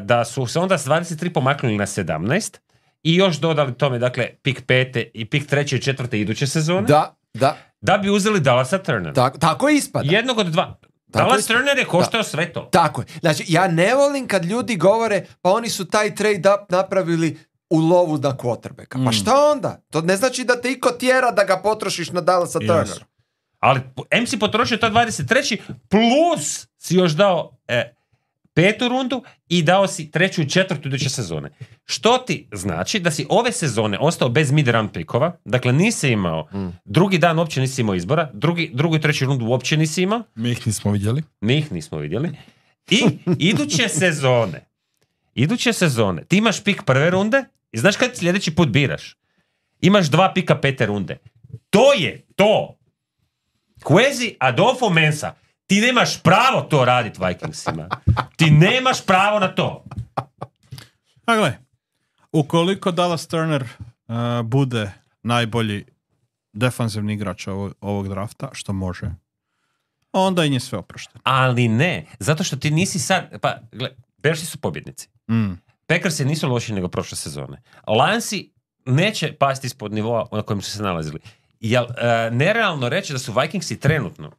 da su se onda s 23 pomaknuli na 17 i još dodali tome, dakle, pik 5. i pik 3. i 4. iduće sezone. Da bi uzeli Dallasa Turnera. Tako ispada. Jednog od 2. Dallas Turner je koštao sve to. Tako je. Znači, ja ne volim kad ljudi govore, pa oni su taj trade up napravili u lovu na quarterbacka. Pa šta onda? To ne znači da te iko tjera da ga potrošiš na Dallasa Turnera. Ali M si potrošio to 23. plus si još dao 5. rundu i dao si 3. i 4. iduće sezone. Što ti znači da si ove sezone ostao bez mid-round pikova, dakle nisi imao, drugi dan uopće nisi imao izbora, drugu i 3. rundu uopće nisi imao. Mi ih nismo vidjeli. I iduće sezone ti imaš pik 1. runde i znaš kad sljedeći put biraš? Imaš 2 pika 5. runde. To je to. Quasi Adolfo Mensa. Ti nemaš pravo to raditi Vikingsima. Ti nemaš pravo na to. A gle, ukoliko Dallas Turner bude najbolji defanzivni igrač ovog drafta, što može, onda im je sve oprošteno. Ali ne, zato što ti nisi sad... Pa, gle, Bearsi su pobjednici. Packersi nisu loši nego prošle sezone. Lionsi neće pasti ispod nivoa na kojem su se nalazili. Jel nerealno reći da su Vikingsi trenutno,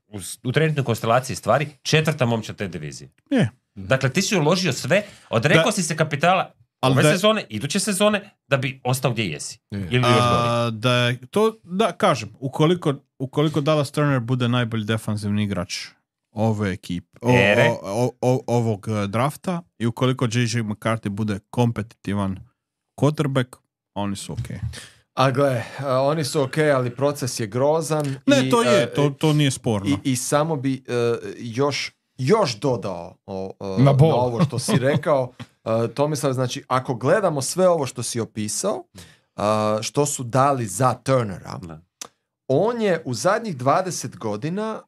u trenutnoj konstelaciji stvari, 4. momčad te divizije? Je. Dakle, ti si uložio sve, odrekao si se kapitala ove sezone, iduće sezone, da bi ostao gdje jesi. Ili kažem, ukoliko Dallas Turner bude najbolji defanzivni igrač ove ekipe, ovog drafta, i ukoliko J.J. McCarthy bude kompetitivan quarterback, oni su okej. A gle, oni su okej, ali proces je grozan. Ne, to nije sporno. I samo bi još dodao na ovo što si rekao, Tomislav, znači, ako gledamo sve ovo što si opisao, što su dali za Turnera, on je u zadnjih 20 godina,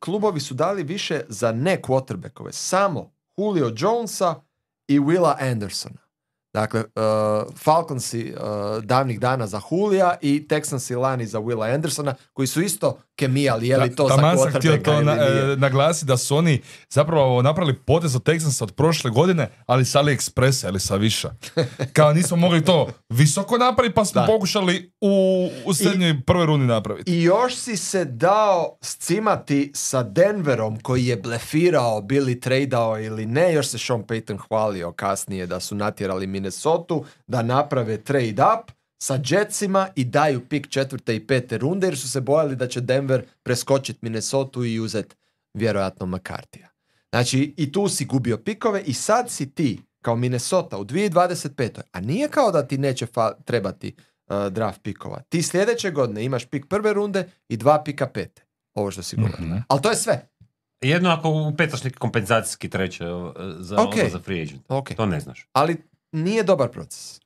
klubovi su dali više za ne quarterbackove, samo Julio Jonesa i Willa Andersona. Dakle, Falconsi davnih dana za Julija i Texansi lani za Willa Andersona, koji su isto kemijali, je li to za quarterbacka? Sam htio to naglasiti da su oni zapravo napravili potez od Texansa od prošle godine, ali sa AliExpressa ili sa Viša. Kao nismo mogli to visoko napraviti, pa smo pokušali u srednjoj prvoj rundi napraviti. I još si se dao scimati sa Denverom, koji je blefirao, bili tradeao ili ne, još se Sean Payton hvalio kasnije da su natjerali Minnesotu da naprave trade up sa Jetsima i daju pik 4. i 5. runde, jer su se bojali da će Denver preskočiti Minnesotu i uzeti vjerojatno McCarthyja. Znači, i tu si gubio pikove i sad si ti, kao Minnesota, u 2025. A nije kao da ti neće trebati draft pikova. Ti sljedeće godine imaš pik prve runde i 2 pika pete. Ovo što si govorio. Ali to je sve. Jedno ako upetaš neki kompenzacijski treće za free agent. Okay. To ne znaš. Ali nije dobar proces.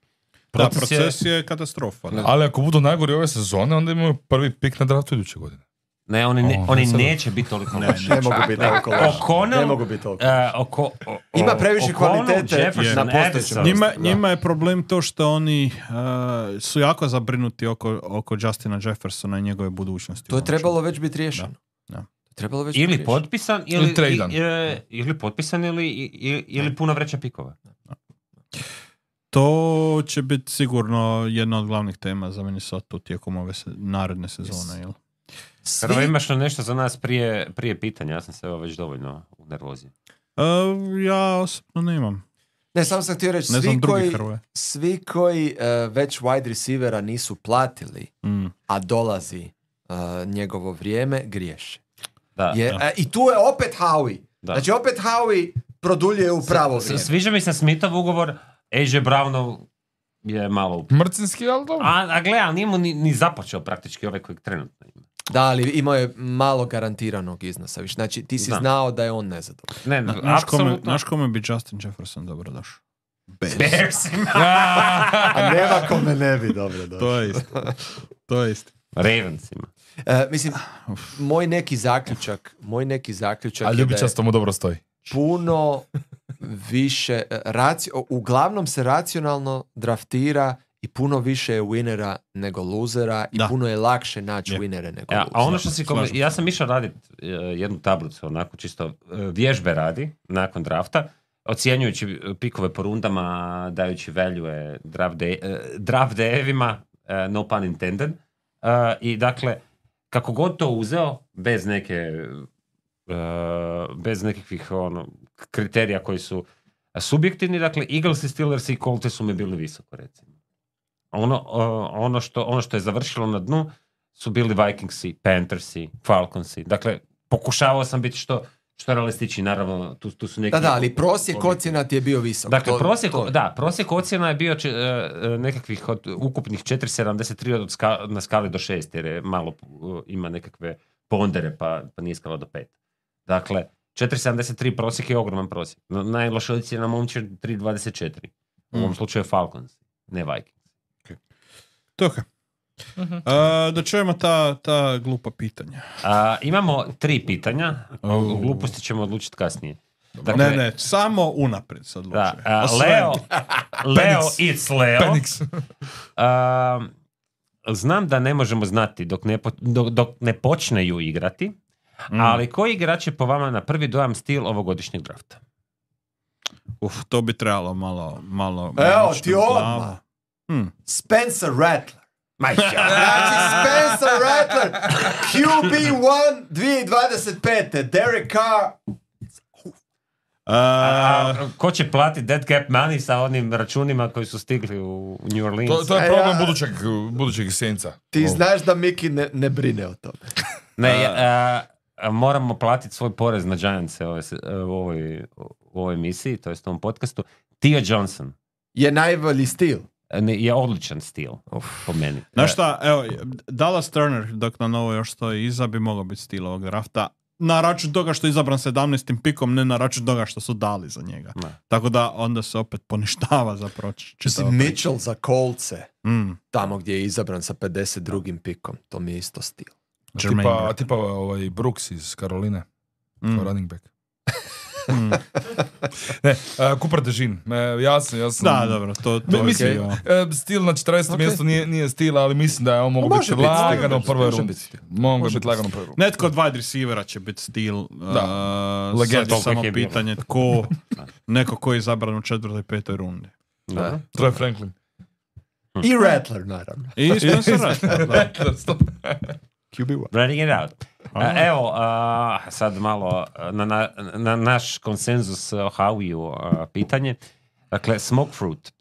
Proces je katastrofa. Ne. Ali ako budu najgori ove sezone, onda imaju prvi pik na draftu iduće godine. Ne, oni neće biti toliko loši. Ne mogu biti toliko loši. Ne mogu biti toliko loši. Ima previše kvalitete na postojećem. Njima je problem to što oni su jako zabrinuti oko Justina Jeffersona i njegove budućnosti. To je trebalo već biti riješeno. Da. Trebalo već ili potpisan ili tradan. Ili potpisan ili puno vreća pikova. To će biti sigurno jedna od glavnih tema za Minnesota tijekom ove naredne sezone. Jel? Prvo imaš nešto za nas prije pitanja, ja sam se već dovoljno u nervozi. Ja osobno nemam. Ne, samo sam htio reći, svi koji već wide receivera nisu platili, a dolazi njegovo vrijeme, griješe. Da. I tu je opet Howie. Da. Znači opet Howie produljuje u pravo vrijeme. Sviđa mi se Smithov ugovor, AJ Brownov je malo... Mrcinski, ali dobro. A gle, ali nije mu ni započeo praktički ovaj kojeg trenutno ima. Da, ali imao je malo garantiranog iznosa. Znači ti si znao da je on nezadovoljan. Znaš kome bi Justin Jefferson dobro došao? Bearsima. A nema kome ne bi dobro došao. To je isto. Ravensima. Mislim, moj neki zaključak a ljubičasto mu dobro stoji. Puno više uglavnom se racionalno draftira i puno više je winnera nego losera i puno je lakše naći winnere nego losera. A ono što ja sam išao raditi jednu tablicu, onako čisto vježbe radi nakon drafta, ocjenjujući pikove po rundama, dajući value draft day-evima, no pun intended. I dakle, kako god to uzeo, bez nekakvih kriterija koji su subjektivni, dakle, Eagles, Steelers i Colts su mi bili visoko, recimo. Ono što je završilo na dnu su bili Vikingsi, Panthersi, Falconsi. Dakle, pokušavao sam biti što realističniji, naravno, tu su neki... Da, ali prosjek ocjena ti je bio visok. Dakle, prosjek ocjena je bio nekakvih od ukupnih 4,73 na skali do 6, jer je malo ima nekakve pondere, pa nije skala do 5. Dakle, 4,73 prosjek je ogroman prosjek. Najloša ocjena momče 3,24. U ovom slučaju Falcons, ne Vikings. Okay. Da čujemo ta glupa pitanja. Imamo 3 pitanja. Gluposti ćemo odlučiti kasnije. Dakle, ne, samo unaprijed se odlučuje. Leo, it's Leo. Znam da ne možemo znati dok ne počneju igrati, ali koji igrač je po vama na prvi dojam stil ovogodišnjeg drafta? To bi trebalo malo evo ti odmah. Spencer Rattler. Znači Spencer Rattler, QB1 2025. Derek Carr. Ko će platiti dead cap money sa onim računima koji su stigli u New Orleans? To je problem budućeg Saintsa. Ti znaš da Miki ne brine o tome. Moramo platiti svoj porez na Giantse u ovoj emisiji, to jest u ovom podcastu. Theo Johnson je najbolji stil. Je odličan stil, po meni. Znaš šta, evo, Dallas Turner, dok na novo još stoji iza, bi mogao biti stil ovog drafta. Na račun toga što je izabran 17. pikom, ne na račun toga što su dali za njega. Tako da onda se opet poništava za proći. Mitchell za Coltse, tamo gdje je izabran sa 52. pikom, to mi je isto stil. Tipa Brooks iz Karoline, running back. Ne, Cooper DeJean. Ja sam... Da, dobro, to mislim, stil na 40. mjestu nije stil, ali mislim da je on mogu biti lagano u prvoj rundi. Mogu biti lagano u prvoj rundi. Netko od wide receivera će biti stil. Sad je samo pitanje tko, neko ko je izabran u 4. i 5. rundi. Troy Franklin. I Rattler, naravno. I Spencer Rattler. QB1. Running it out. Evo, sad malo na naš konsenzus o Howie pitanje. Dakle, smoke fruit.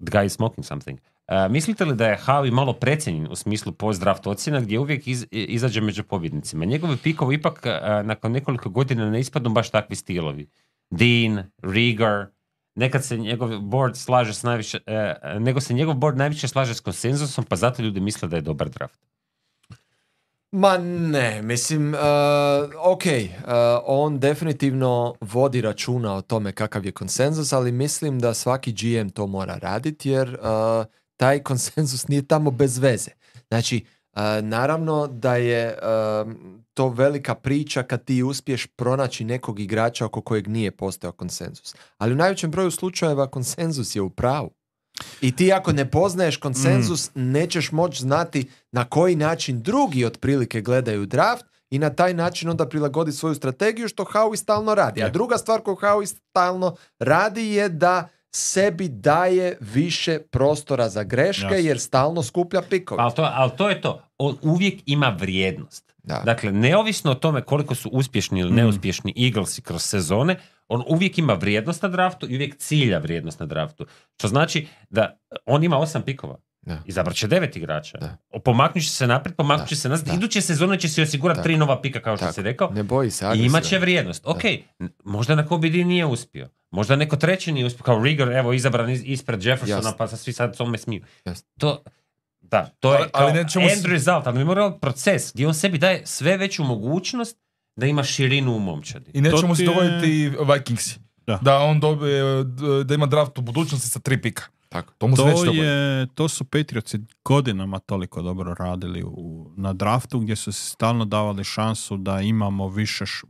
The guy is smoking something. Mislite li da je Howie malo precijenjen u smislu post-draft ocjena gdje uvijek izađe među pobjednicima? Njegovi pikovi ipak nakon nekoliko godina ne ispadnu baš takvi stilovi. Dean, Rieger, nekad se njegov board slaže s najviše, nego se njegov board najviše slaže s konsenzusom, pa zato ljudi misle da je dobar draft. Ma ne, mislim, on definitivno vodi računa o tome kakav je konsenzus, ali mislim da svaki GM to mora raditi jer taj konsenzus nije tamo bez veze. Znači, naravno da je to velika priča kad ti uspiješ pronaći nekog igrača oko kojeg nije postojao konsenzus. Ali u najvećem broju slučajeva konsenzus je u pravu. I ti ako ne poznaješ konsenzus, nećeš moći znati na koji način drugi otprilike gledaju draft i na taj način onda prilagodi svoju strategiju, što Howie stalno radi. A druga stvar koju Howie stalno radi je da sebi daje više prostora za greške jer stalno skuplja pikove. Ali to je to. On uvijek ima vrijednost. Da. Dakle, neovisno o tome koliko su uspješni ili neuspješni Eaglesi kroz sezone, on uvijek ima vrijednost na draftu i uvijek cilja vrijednost na draftu. Što znači da on ima 8 pikova. Izabrat će 9 igrača. Pomaknut će se naprijed, pomaknut će se nazad. Iduće sezone će se osigurati 3 nova pika, kao što si rekao. Ne boji se. I imat će vrijednost. Ok, možda na Kobe D nije uspio. Možda neko treći nije uspio. Kao Rieger, evo, izabran ispred Jeffersona, pa svi sad tome smiju. To je kao end result, ali mi moramo proces gdje on sebi daje sve veću mogućnost da ima širinu u momčadi. I nećemo se dovoljiti Vikingsi. Da on dobije, da ima draft u budućnosti sa 3 pika. Tako. To su Patriotsi godinama toliko dobro radili na draftu, gdje su se stalno davali šansu da imamo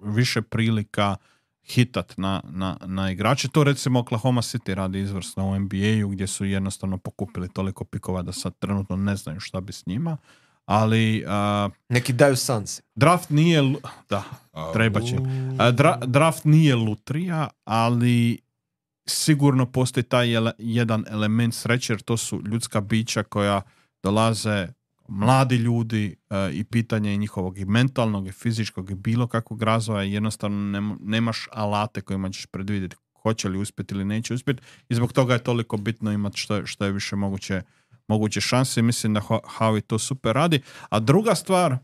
više prilika hitat na igrače. To recimo Oklahoma City radi izvrsno u NBA-u, gdje su jednostavno pokupili toliko pikova da sad trenutno ne znaju šta bi s njima. Ali neki daju Suns. Draft nije treba će. Draft nije lutrija, ali sigurno postoji taj jedan element sreće, jer to su ljudska bića koja dolaze, mladi ljudi, i pitanje njihovog i mentalnog i fizičkog i bilo kakvog razvoja. Jednostavno nemaš alate kojima ćeš predvidjeti hoće li uspjeti ili neće uspjeti, i zbog toga je toliko bitno imati što je više moguće šanse, i mislim da Howie to super radi. A druga stvar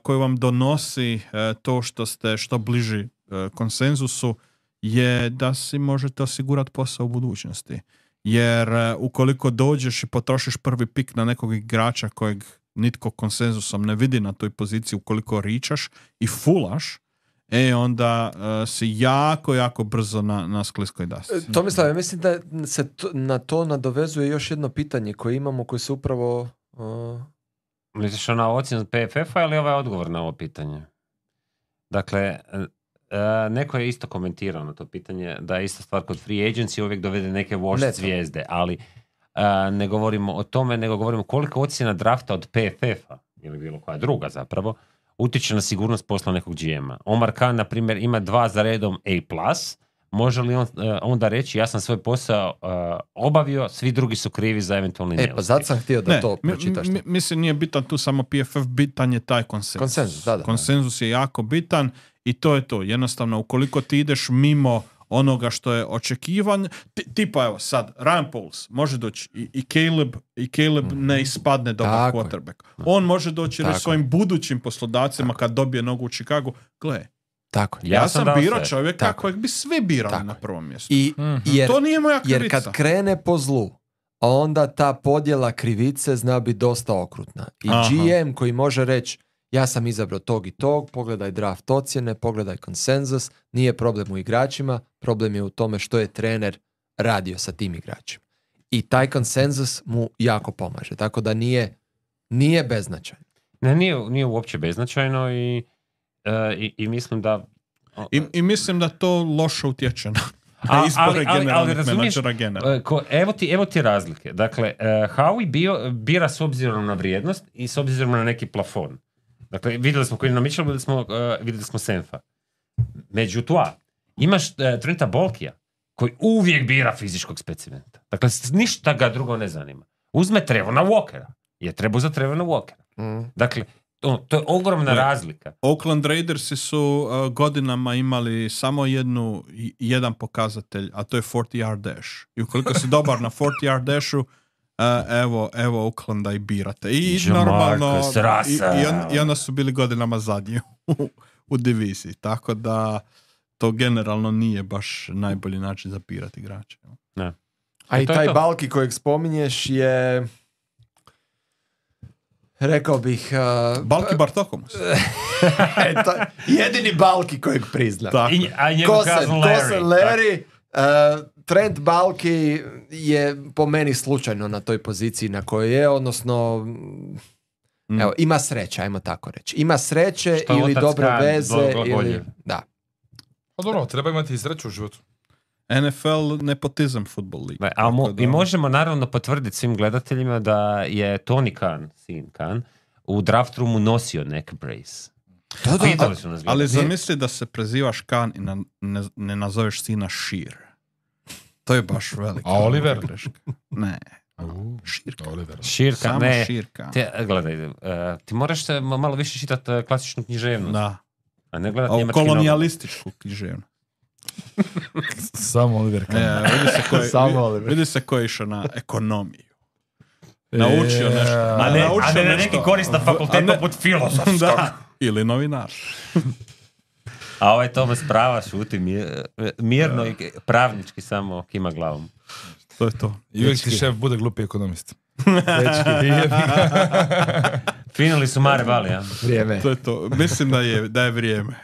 koju vam donosi to što ste što bliži konsenzusu je da si možete osigurati posao u budućnosti. Jer ukoliko dođeš i potrošiš prvi pik na nekog igrača kojeg nitko konsenzusom ne vidi na toj poziciji, ukoliko ričaš i fulaš, onda si jako brzo na skliskoj dasci. Tomislav, ja mislim da se na to nadovezuje još jedno pitanje koje imamo, koje se upravo... Misliš na ocjenu PFF-a ili ovaj odgovor na ovo pitanje? Dakle, neko je isto komentirao na to pitanje da je ista stvar kod free agency, uvijek dovede neke wash zvijezde, ali ne govorimo o tome, nego govorimo koliko ocjena drafta od PFF-a ili bilo koja druga zapravo utječe na sigurnost posla nekog GM-a. Omar Khan, na primjer, ima 2 za redom A+, može li on onda reći ja sam svoj posao obavio, svi drugi su krivi za eventualni neuspjeh? Pa zato sam htio da to pročitaš. Mislim, nije bitan tu samo PFF, bitan je taj konsenzus. Konsenzus je jako bitan i to je to. Jednostavno, ukoliko ti ideš mimo onoga što je očekivan, tipa evo sad, Ryan Pauls može doći i Caleb ne ispadne dobar quarterback. On može doći reći svojim budućim poslodavcima kad dobije nogu u Chicagu, gle, tako. Ja sam birao čovjeka kojeg bi svi birali na prvom mjestu. To nije moja krivica. Jer kad krene po zlu, onda ta podjela krivice zna biti dosta okrutna. I GM koji može reći ja sam izabrao tog i tog, pogledaj draft ocjene, pogledaj konsenzus, nije problem u igračima, problem je u tome što je trener radio sa tim igračima. I taj konsenzus mu jako pomaže, tako da nije beznačajno. Ne, nije uopće beznačajno i mislim da... I mislim da to loše utječe na izbore generalnih menadžera generalno. Evo ti razlike. Dakle, Howie bira s obzirom na vrijednost i s obzirom na neki plafon. Dakle, vidjeli smo Quinna Mitchell, vidjeli smo Senfa. Međutim, imaš Trenta Bolkija, koji uvijek bira fizičkog specimenta. Dakle, ništa ga drugo ne zanima. Uzme Trevona Walkera. Je treba za Trevona Walkera. Dakle, to je ogromna razlika. Oakland Raidersi su godinama imali samo jedan pokazatelj, a to je 40-yard dash. I ukoliko si dobar na 40-yard dashu, evo Oaklanda i birate. I Jamarcus normalno, Russell. i onda su bili godinama zadnji u diviziji, tako da to generalno nije baš najbolji način za birati igrače. Ne. A i to je taj to. Balki kojeg spominješ je, rekao bih... Balki Bartokomus. to je jedini Balki kojeg priznam. Tako. A njegov cousin Larry. Larry. Trent Balki je po meni slučajno na toj poziciji na kojoj je, odnosno evo, ima sreće, ajmo tako reći. Ima sreće Što ili otac dobre Khan veze bolje. ili... Da. Pa dobro, treba imati i sreću u životu. NFL nepotizam football league. I možemo naravno potvrditi svim gledateljima da je Tony Khan, sin Khan, u draft roomu nosio neck brace. Pitali su nas. Ali zamisli da se prezivaš Khan i ne nazoveš sina Sheer. To je baš velika. A Oliver? greška. Ne. Širka. Oliver. Širka, Samo ne. Širka. Gledaj, ti moraš se malo više čitati klasičnu književnost. Da. A ne gledati A njemački novac. kolonijalističku književnost. Samo Oliver. Vidi se ko je išao na ekonomiju. Naučio nešto. A ne na neki koristan fakultet poput filozofskog. Da. Ili novinar. A ovaj Tomas prava šuti mirno i pravnički samo kima glavom. To je to. I uvijek ti šef bude glupi ekonomist. Finali su Mare Vali, ja? Vrijeme. To je to. Mislim da je vrijeme.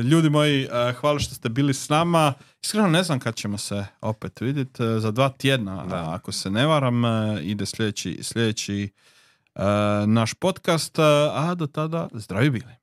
Ljudi moji, hvala što ste bili s nama. Iskreno ne znam kad ćemo se opet vidjeti. Za 2 tjedna, ako se ne varam, ide sljedeći naš podcast. A do tada, zdravi bili.